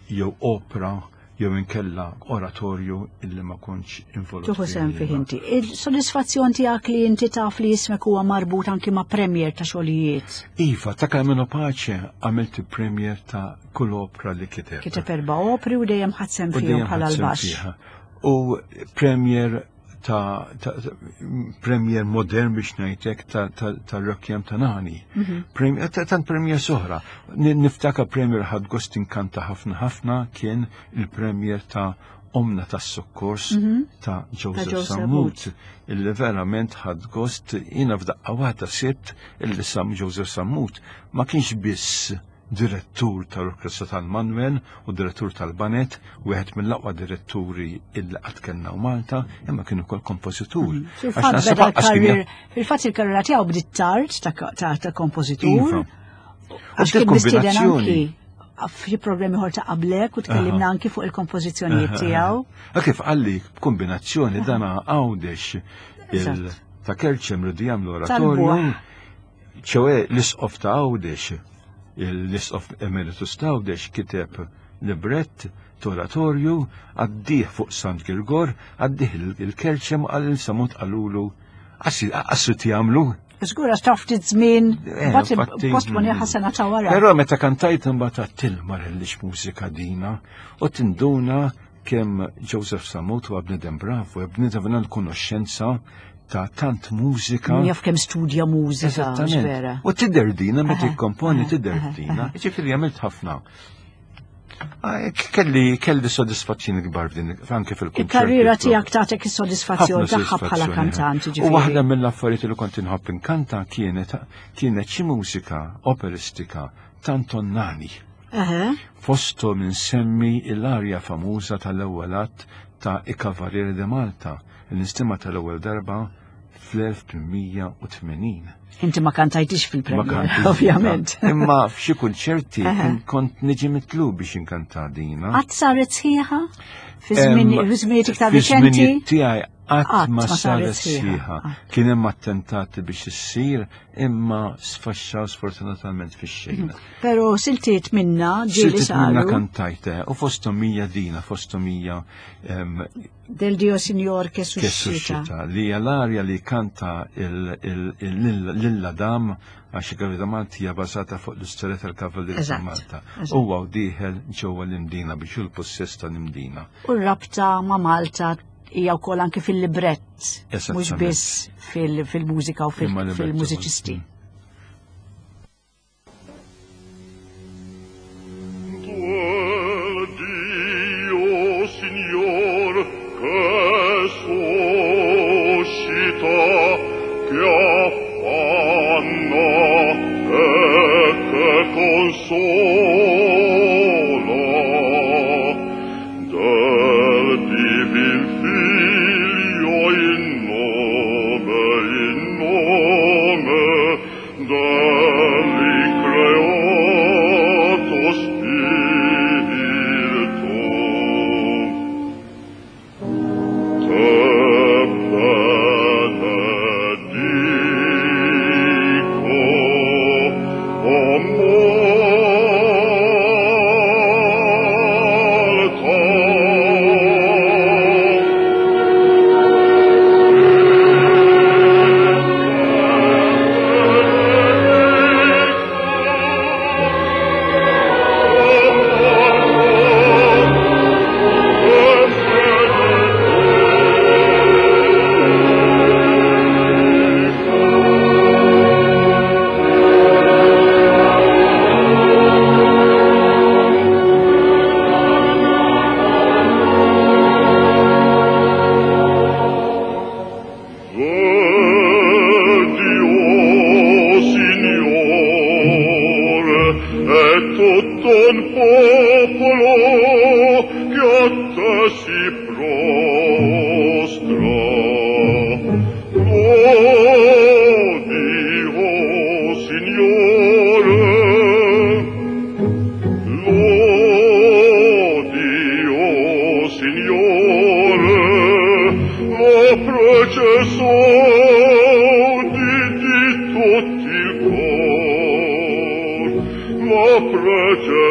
jew opra jew inkella oratorju illi ma kontx involut. Tieħu fih sehem fih jiena. inti. Il-sodisfazzjon tiegħek li inti taf li ismek huwa marbut anki ma' premier ta' xogħlijiet. Iva, ta' Carmelo Pace għamilt il-premier ta' kull opra li kiteb. Kiteb erba' opri u dejjem ħadt sehem U fihom dejjem bħala ħadt sehem l-baxx. fiha. U premier ta', ta, ta premier modern biex ngħidlek ta' ta', ta' Requiem ta' Nani. Mhm. Premier, ta' tant premier oħra. Niftakar premier ħadt gost inkanta ħafna ħafna kien il-premier ta' Omna tas-Sokkors ta' Joseph Ta' Joseph Sammut, illi verament ħadt gost jiena f'daqqa waħda sibt illi Sam Joseph Sammut ma kienx biss direttur tal-Orkestra tal-Manuel u direttur tal-Baned, wieħed mill-aqwa diretturi illi qatt kellna u Malta, imma kien ukoll kompożitur. Għax Fil-fatt naħseb beda lanqas kien l-karrier, fil-fatt il-karriera tiegħu bdiet tard ta' ta' ta' kompożitur. Iva. Għax U kien mistieden kombinazzjoni. anki f'xi programmi ieħor ta' qablek u tkellimna anki fuq il-kompożizzjonijiet tiegħu. A kif qalli kombinazzjoni dana Għawdex il Eżatt. ta' Kerċem rridu jagħmlu oratorju, Talbuh. ċoè l-isqof ta' Għawdex, l-isqof emeritus ta' Għawdex kiteb librett oratorju għaddih fuq Sant Girgor, għaddih il-Kerċem għal il-Sammut qalulu għassi jagħmlu. Żgur għax taf ftit żmien, Eh, mbagħad infatti, postponi sena ta' wara. Però meta kantajt imbagħad għattilma rellix mużika dina u tinduna kemm Joseph Sammut huwa bniedem bravu, bniedem verament konoxxenza ta' tant mużika. Jaf kemm studja mużika, mhux Eżattament. vera. U tidher dina meta Aha, tikkomponi aha, tidher aha, dina. Ġifieri għamilt ħafna. Ah, Kelli kelli sodisfazzjoni kbar f'din anke fil-kunċert. Il-karriera tiegħek tagħtek is-sodisfazzjon tagħha bħala kantant, U ġifieri. waħda mill-affarijiet li kont inħobb inkanta kienet kienet xi mużika operistika ta' Anton Nani. Eħe. Fosthom insemmi l-arja famuża tal-ewwel att ta' I Cavalieri di Malta, l-istima tal-ewwel darba fl-elf tmien mija u tmenin. Inti ma kantajtix Ma fil-premier, kantix. ovvjament. Imma f'xi kunċerti Eħe. kont niġi mitlub biex inkanta dina. Qatt saret sħiħa? Fi żmien Em, fi żminijiet iktar Fi riċenti? żminijiet tiegħi qatt Qatt ma ma saret saret sħiħa. sħiħa. Kien hemm attentati biex issir, imma sfaxxaw sfortunatament fix-xejn. Pero siltiet minna ġieli Siltiet minna saru kantajte, u fosthom hija dina, fosthom hija em, Del Dio Signor che che suscita. suscita, li hija l-arja li kanta lil La Dame, għax il-Kavallieri ta' Malta hija bażata fuq l-istorja tal-Kavallieri ta' Eżatt, Malta. eżatt. Huwa u dieħel ġewwa l-Imdina biex hu l-possess tal-Imdina. U r-rabta ma' Malta hija wkoll anke fil-librett, mhux Esattament. biss fil- fil-mużika u fil- Imma librett fil-mużiċisti. ukoll. Del Dio Signor che suscita, che affanna e che consola, del divin Figlio in nome, in nome dell'increato Spirito. Te benedico, o Malta. Vedi, o Signore, è tutto un popolo che a te si prostra. Lodi, o Signore, Lodi, o Signore, la prece saudi di tutti il cor, la prece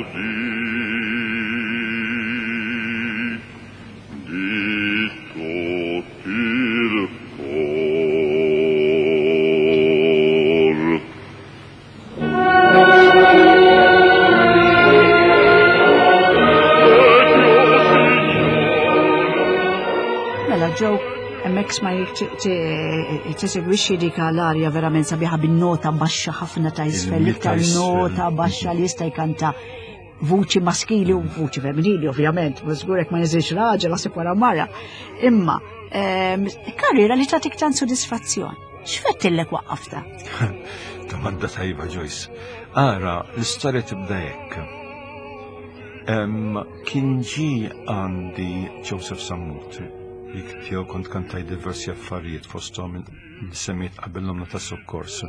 saudi di tutti il cor. Mela ġew hemmhekk smajk tisegwixxi dik l-arja verament sabiħa bin-nota baxxa ħafna ta' isfel, Il-mita l-iktar isfel. nota baxxa li jista' jkanta vuċi maskili u vuċi femminili, ovvjament, ma żgurek ma niżilx raġel għasib wara mara. Imma ehm, karriera li tagħtik tant sodisfazzjon. X'fettillek waqqafta? Domanda tajba, Joyce. Ara, l-istorja tibda hekk. Em, Kien ġi għandi Joseph Sammut, li tiegħu kont kantaj diversi affarijiet fosthom li semmiet qabel l-omna ta' sokkors.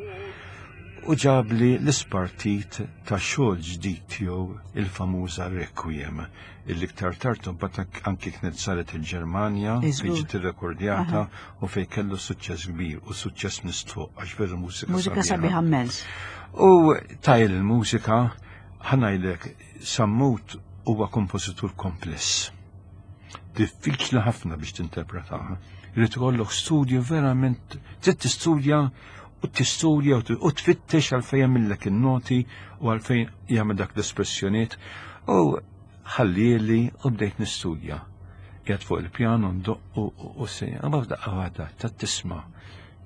U ġabli l-ispartit ta' xogħol ġdid tiegħu, il-famuża Requiem, illi iktar tard mbagħad anki kienet saret il-Ġermanja fejn Iżgur. ġiet irrekordjata u fejn kellu suċċess kbir u suċċess mistħoq għax veru mużika Mużika sabiħa immens. U tajl il-mużika, ħa ngħidlek, Sammut huwa kompożitur kompless. Diffiċli ħafna biex tinterpretaha. Irid ikollok studju verament, trid tistudja u tistudja u t- u tfittex għalfejn jagħmillek in-noti u għalfejn jagħmel dak l-espressjoniet. U ħallieli u bdejt nistudja. Qiegħed fuq il-pjano ndoq u u sejja. Ma f'daqqa waħda ta' tisma'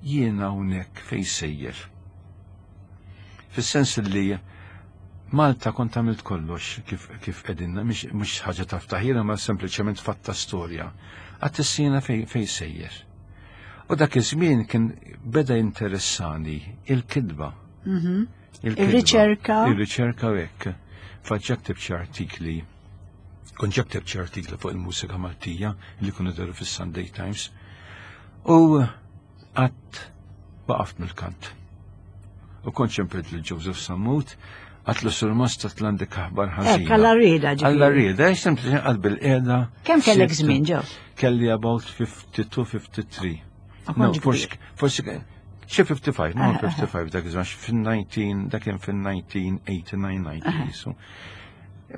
jiena hawnhekk fejn sejjer. Fis-sens li Malta kont għamilt kollox kif kif qegħdinna, mhix ħaġa ta' ftaħira, ma sempliċement fatta storja. Għat issina fej fej sejjer. U dak iż-żmien kien beda interessani il-kidba. Mhm. Il-kitba. Ir-riċerka. Il-riċerka u hekk. Faġġa ktibt xi artikli. Kont ġa ktibt xi artikli fuq il-mużika Maltija li kienu deru fis-Sunday Times. U għat waqaft mill-kant. U kont ċempilt lil Joseph Sammut, għedtlu surmast għandek aħbar Hekk, ħażina. alla rieda Alla ġifieri. rieda, sempliċement għad bil-qiegħda. Kemm kellek sibt- żmien ġew? Kelli about fifty-two, fifty-three. Ma No, kontx forsi, kbir. forsi, xi fifty-five, no, fifty-five, dak iż fin-nineteen, dak kien fin-nineteen eighty-nine, ninety, so.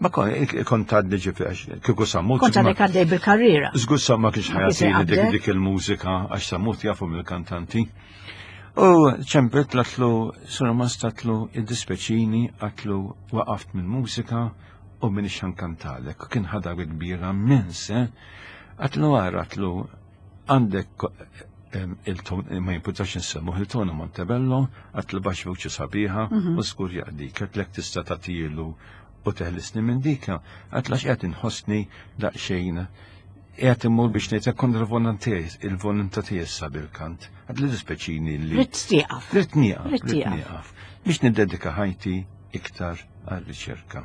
Ma kon, kont għadni ġifieri, kieku Sammut. Kont għadek għaddej bil-karriera. Żgur sa ma kienx Ma kienx ħajatini dik jaqbdek. dik il-mużika, għax Sammut jafu mill-kantanti. U ċempilt għedtlu, surmast għedtlu, id-dispeċini, għedtlu waqaft mill-mużika u m'iniex ħa nkantalek. Kien ħadha kbira immens, eh? Għedtlu għara, għedtlu għandek em, il-ton, ma jimputax nsemmu, il-Tony Montebello, għedtlu baxx vuċi sabiħa u żgur jaqdik, għedtlek tista' tagħtilu u teħlisni minn dika, għedtlu għax qed inħossni daqsxejn qiegħed immur biex ngħid kontra il-volontà tiegħi issa bil-kant. Għedtlu dispeċini li Ridt tieqaf. Ridt nieqaf, Ridt ridt tieqaf. nieqaf. Biex niddedika ħajti iktar għal-riċerka.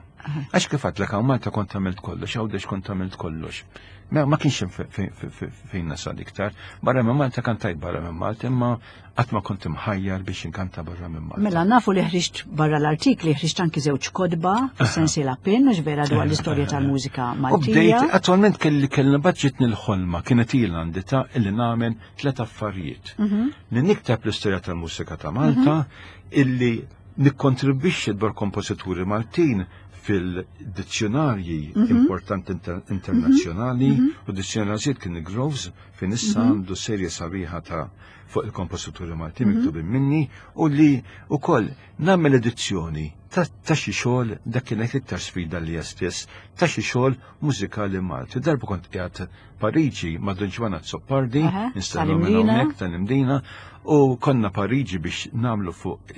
Għax kif għedtlek hawn Malta kont għamilt kollox, Għawdex kont għamilt kollox. Ma, ma kienx hemm fe- fe- fe- fe- fejn nasal iktar. Barra minn Malta kantajt barra minn Malta, imma qatt ma kont imħajjar biex inkanta barra minn Malta. Mela nafu li ħriġt barra l-artikli, ħriġt anki żewġ kotba fis-sensiela Pin, mhux vera, dwar l-istorja tal-mużika U bdejt, Maltija. attualment kelli kelli baġġitni l-ħolma, kienet ilha għandi ta' illi nagħmel tliet affarijiet. Li nikteb l-istorja tal-mużika ta' Malta, illi nikkontribwixxi dwar kompożituri Maltin fil-dizzjonarji importanti inter internazzjonali u dizzjonarji kien Groves fejn issa għandu serje sabiħa ta' fuq il-kompożituri Maltin miktubin minni u li wkoll nagħmel edizzjoni ta' ta' xi xogħol, dak kienet iktar sfida li stess, ta' xi xogħol mużikali Malti. Darba kont qiegħed Pariġi ma' Don Ġwann Azzopardi, Aha, installu minn tal-Imdina. hawnhekk tal-Imdina, u konna Pariġi biex nagħmlu fuq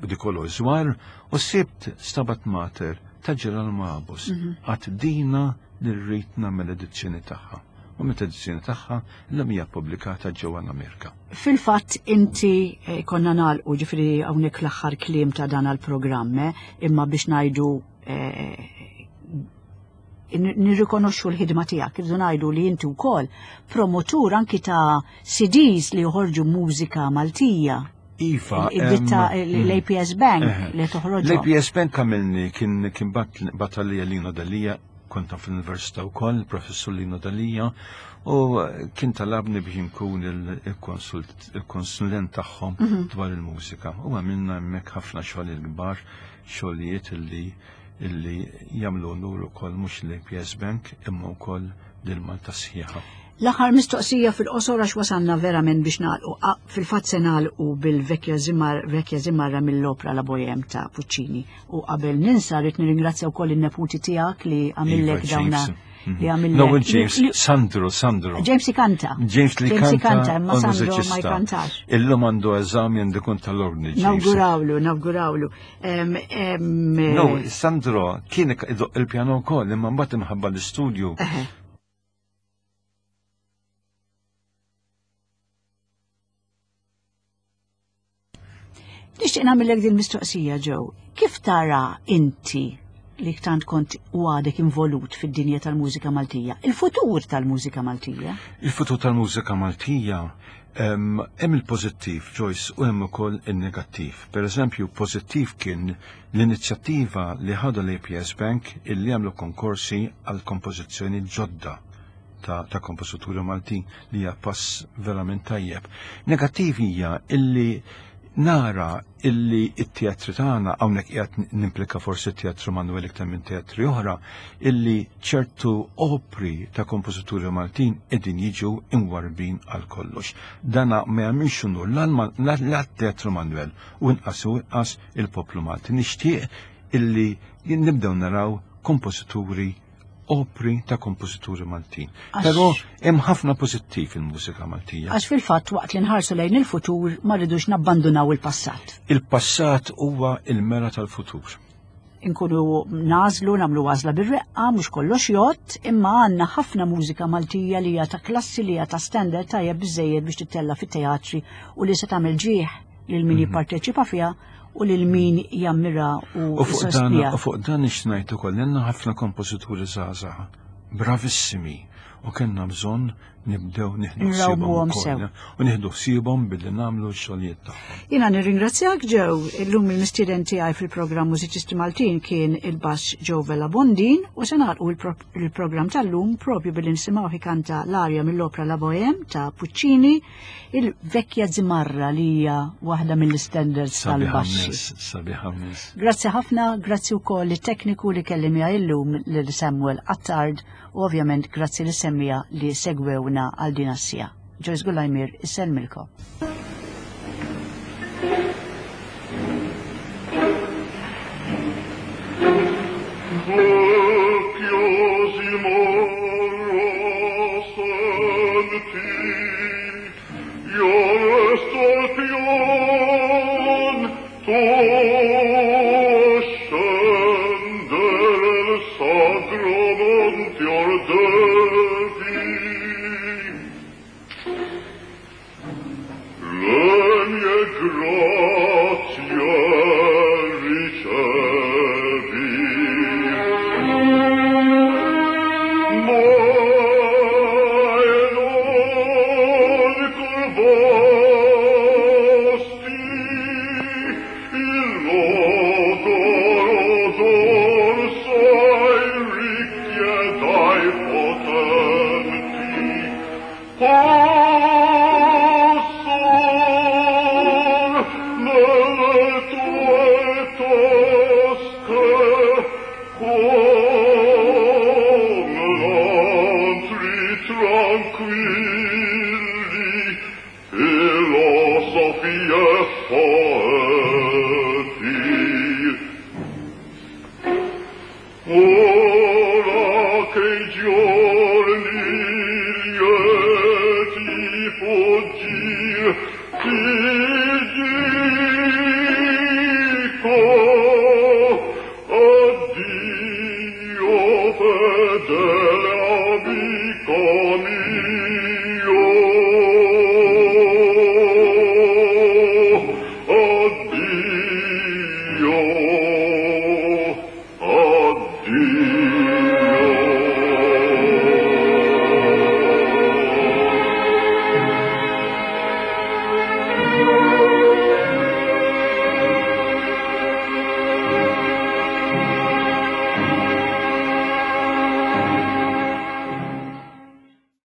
Dikolo Żwar u sibt Stabat Mater ta' Ġerolmu Abos. Għedt dina li rrid nagħmel edizzjoni tagħha. U meta edizzjoni tagħha l hija pubblikata ġewwa l-Amerika. Fil-fatt inti eh, konna nagħlqu ġifieri hawnhekk l-aħħar kliem ta' dan għal-programm, eh, imma biex ngħidu eh, nirrikonoxxu l-ħidma tiegħek, irridu ngħidu li inti wkoll promotur anki ta' C Ds li joħorġu mużika Maltija. Iva, Id-ditta em, l-A P S Bank Eh, li toħroġ. L-A P S Bank għamilni kien kien bat batalija Lino Dalija, konta fl-Università wkoll, professur Lino Dalija, u kien talabni biex nkun il- il-konsult- il-konsulent tagħhom dwar il-mużika. U għamilna hemmhekk ħafna xogħol il-kbar, xogħlijiet illi illi jagħmlu unur ukoll mhux l-A P S Bank imma wkoll lil Malta sħiħa. L-aħħar mistoqsija fil-qosor għax wasanna verament biex nagħlqu. Ah, fil-fatt se nagħlqu bil-Vecchia Zimmar, Vecchia Zimarra mill-opra La Bohème ta' Puccini. U qabel ninsa rrid nirringrazzja wkoll in-neputi tiegħek li għamillek Iva, dawna James. li għamillek. No, James, li- Sandro, Sandro. James ikanta. James li James kanta, ikanta, imma u Sandro ma mużiċista. jkantax. Illum għandu eżami, għandu kun tal-ordni. James. Nawgurawlu, nawgurawlu. Em, em, No, Sandro kien idoq il-pjano wkoll, imma mbagħad imħabba l-istudju. Eħe. Nixtieq nagħmellek din mistoqsija, Joe. Kif tara inti li tant kont u għadek involut fid-dinja tal-mużika Maltija? Il-futur tal-mużika Maltija? Il-futur tal-mużika Maltija em, hemm il-pożittiv, Joyce, u hemm ukoll il-negattiv. Per eżempju, pożittiv kien l-inizjattiva li ħadu l-A P S Bank illi għamlu konkorsi għal kompożizzjoni ġodda ta', ta' kompożituri Maltin li hija pass verament tajjeb. Negattiv hija illi nara illi it-teatri tagħna, hawnhekk qiegħed nimplika forsi t-teatru Manuel iktar minn teatri oħra, illi ċertu opri ta' kompożituri Maltin qegħdin jiġu imwarbin għal kollox. Dana ma jagħmilx unur la teatru Manuel u inqas u inqas il-poplu Malti. Nixtieq illi nibdew naraw kompożituri, opri ta' kompożituri Maltin. Għax- Però hemm ħafna pożittiv fil-mużika Maltija. Għax fil-fatt waqt li nħarsu lejn il-futur ma rridux nabbandunaw il-passat. Il-passat huwa il-mera tal-futur. Inkunu nagħżlu, nagħmlu għażla bir-reqqa, mhux kollox jgħodd, imma għandna ħafna mużika Maltija li hija ta' klassi, li hija ta' standard tajjeb biżejjed biex tittella fit-teatri u li se tagħmel ġieħ lil min jipparteċipa fiha u lil min jammira u U fuq dan, jsostniha. u fuq dan ixnajt ukoll għandna ħafna kompożituri żgħażagħ, bravissimi, u kellna bżonn nibdew nieħdu ħsiebhom Nrawmuhom ukoll, sew. u nieħdu ħsiebhom billi nagħmlu x-xogħlijiet tagħhom. Jiena nirringrazzjak, Joe. Illum il-mistieden tiegħi fil-programm Mużiċisti Maltin kien il-bass Joe Vella Bondin u se nagħlqu il-pro- il-programm tal-lum propju billi nisimgħu jkanta l-arja mill-opra La Bohème ta' Puccini, il-Vecchia Zimarra, li hija waħda mill-standards Sabiħa tal-baxxi. immens, sabiħa immens. Grazzi ħafna, grazzi wkoll it-tekniku li kelli miegħi illum, lil Samuel Attard, u ovvjament grazzi lis-semmiegħa li segwewna għal din is-siegħa. Joyce Gulajmir isellmilkom. Vecchio Zimarra, senti, io resto al pian, tu scendere il sacro monte or devi. Le mie grazie ricevi, ma non curvasti il logoro dorso ai ricchi ed ai potenti. Oh,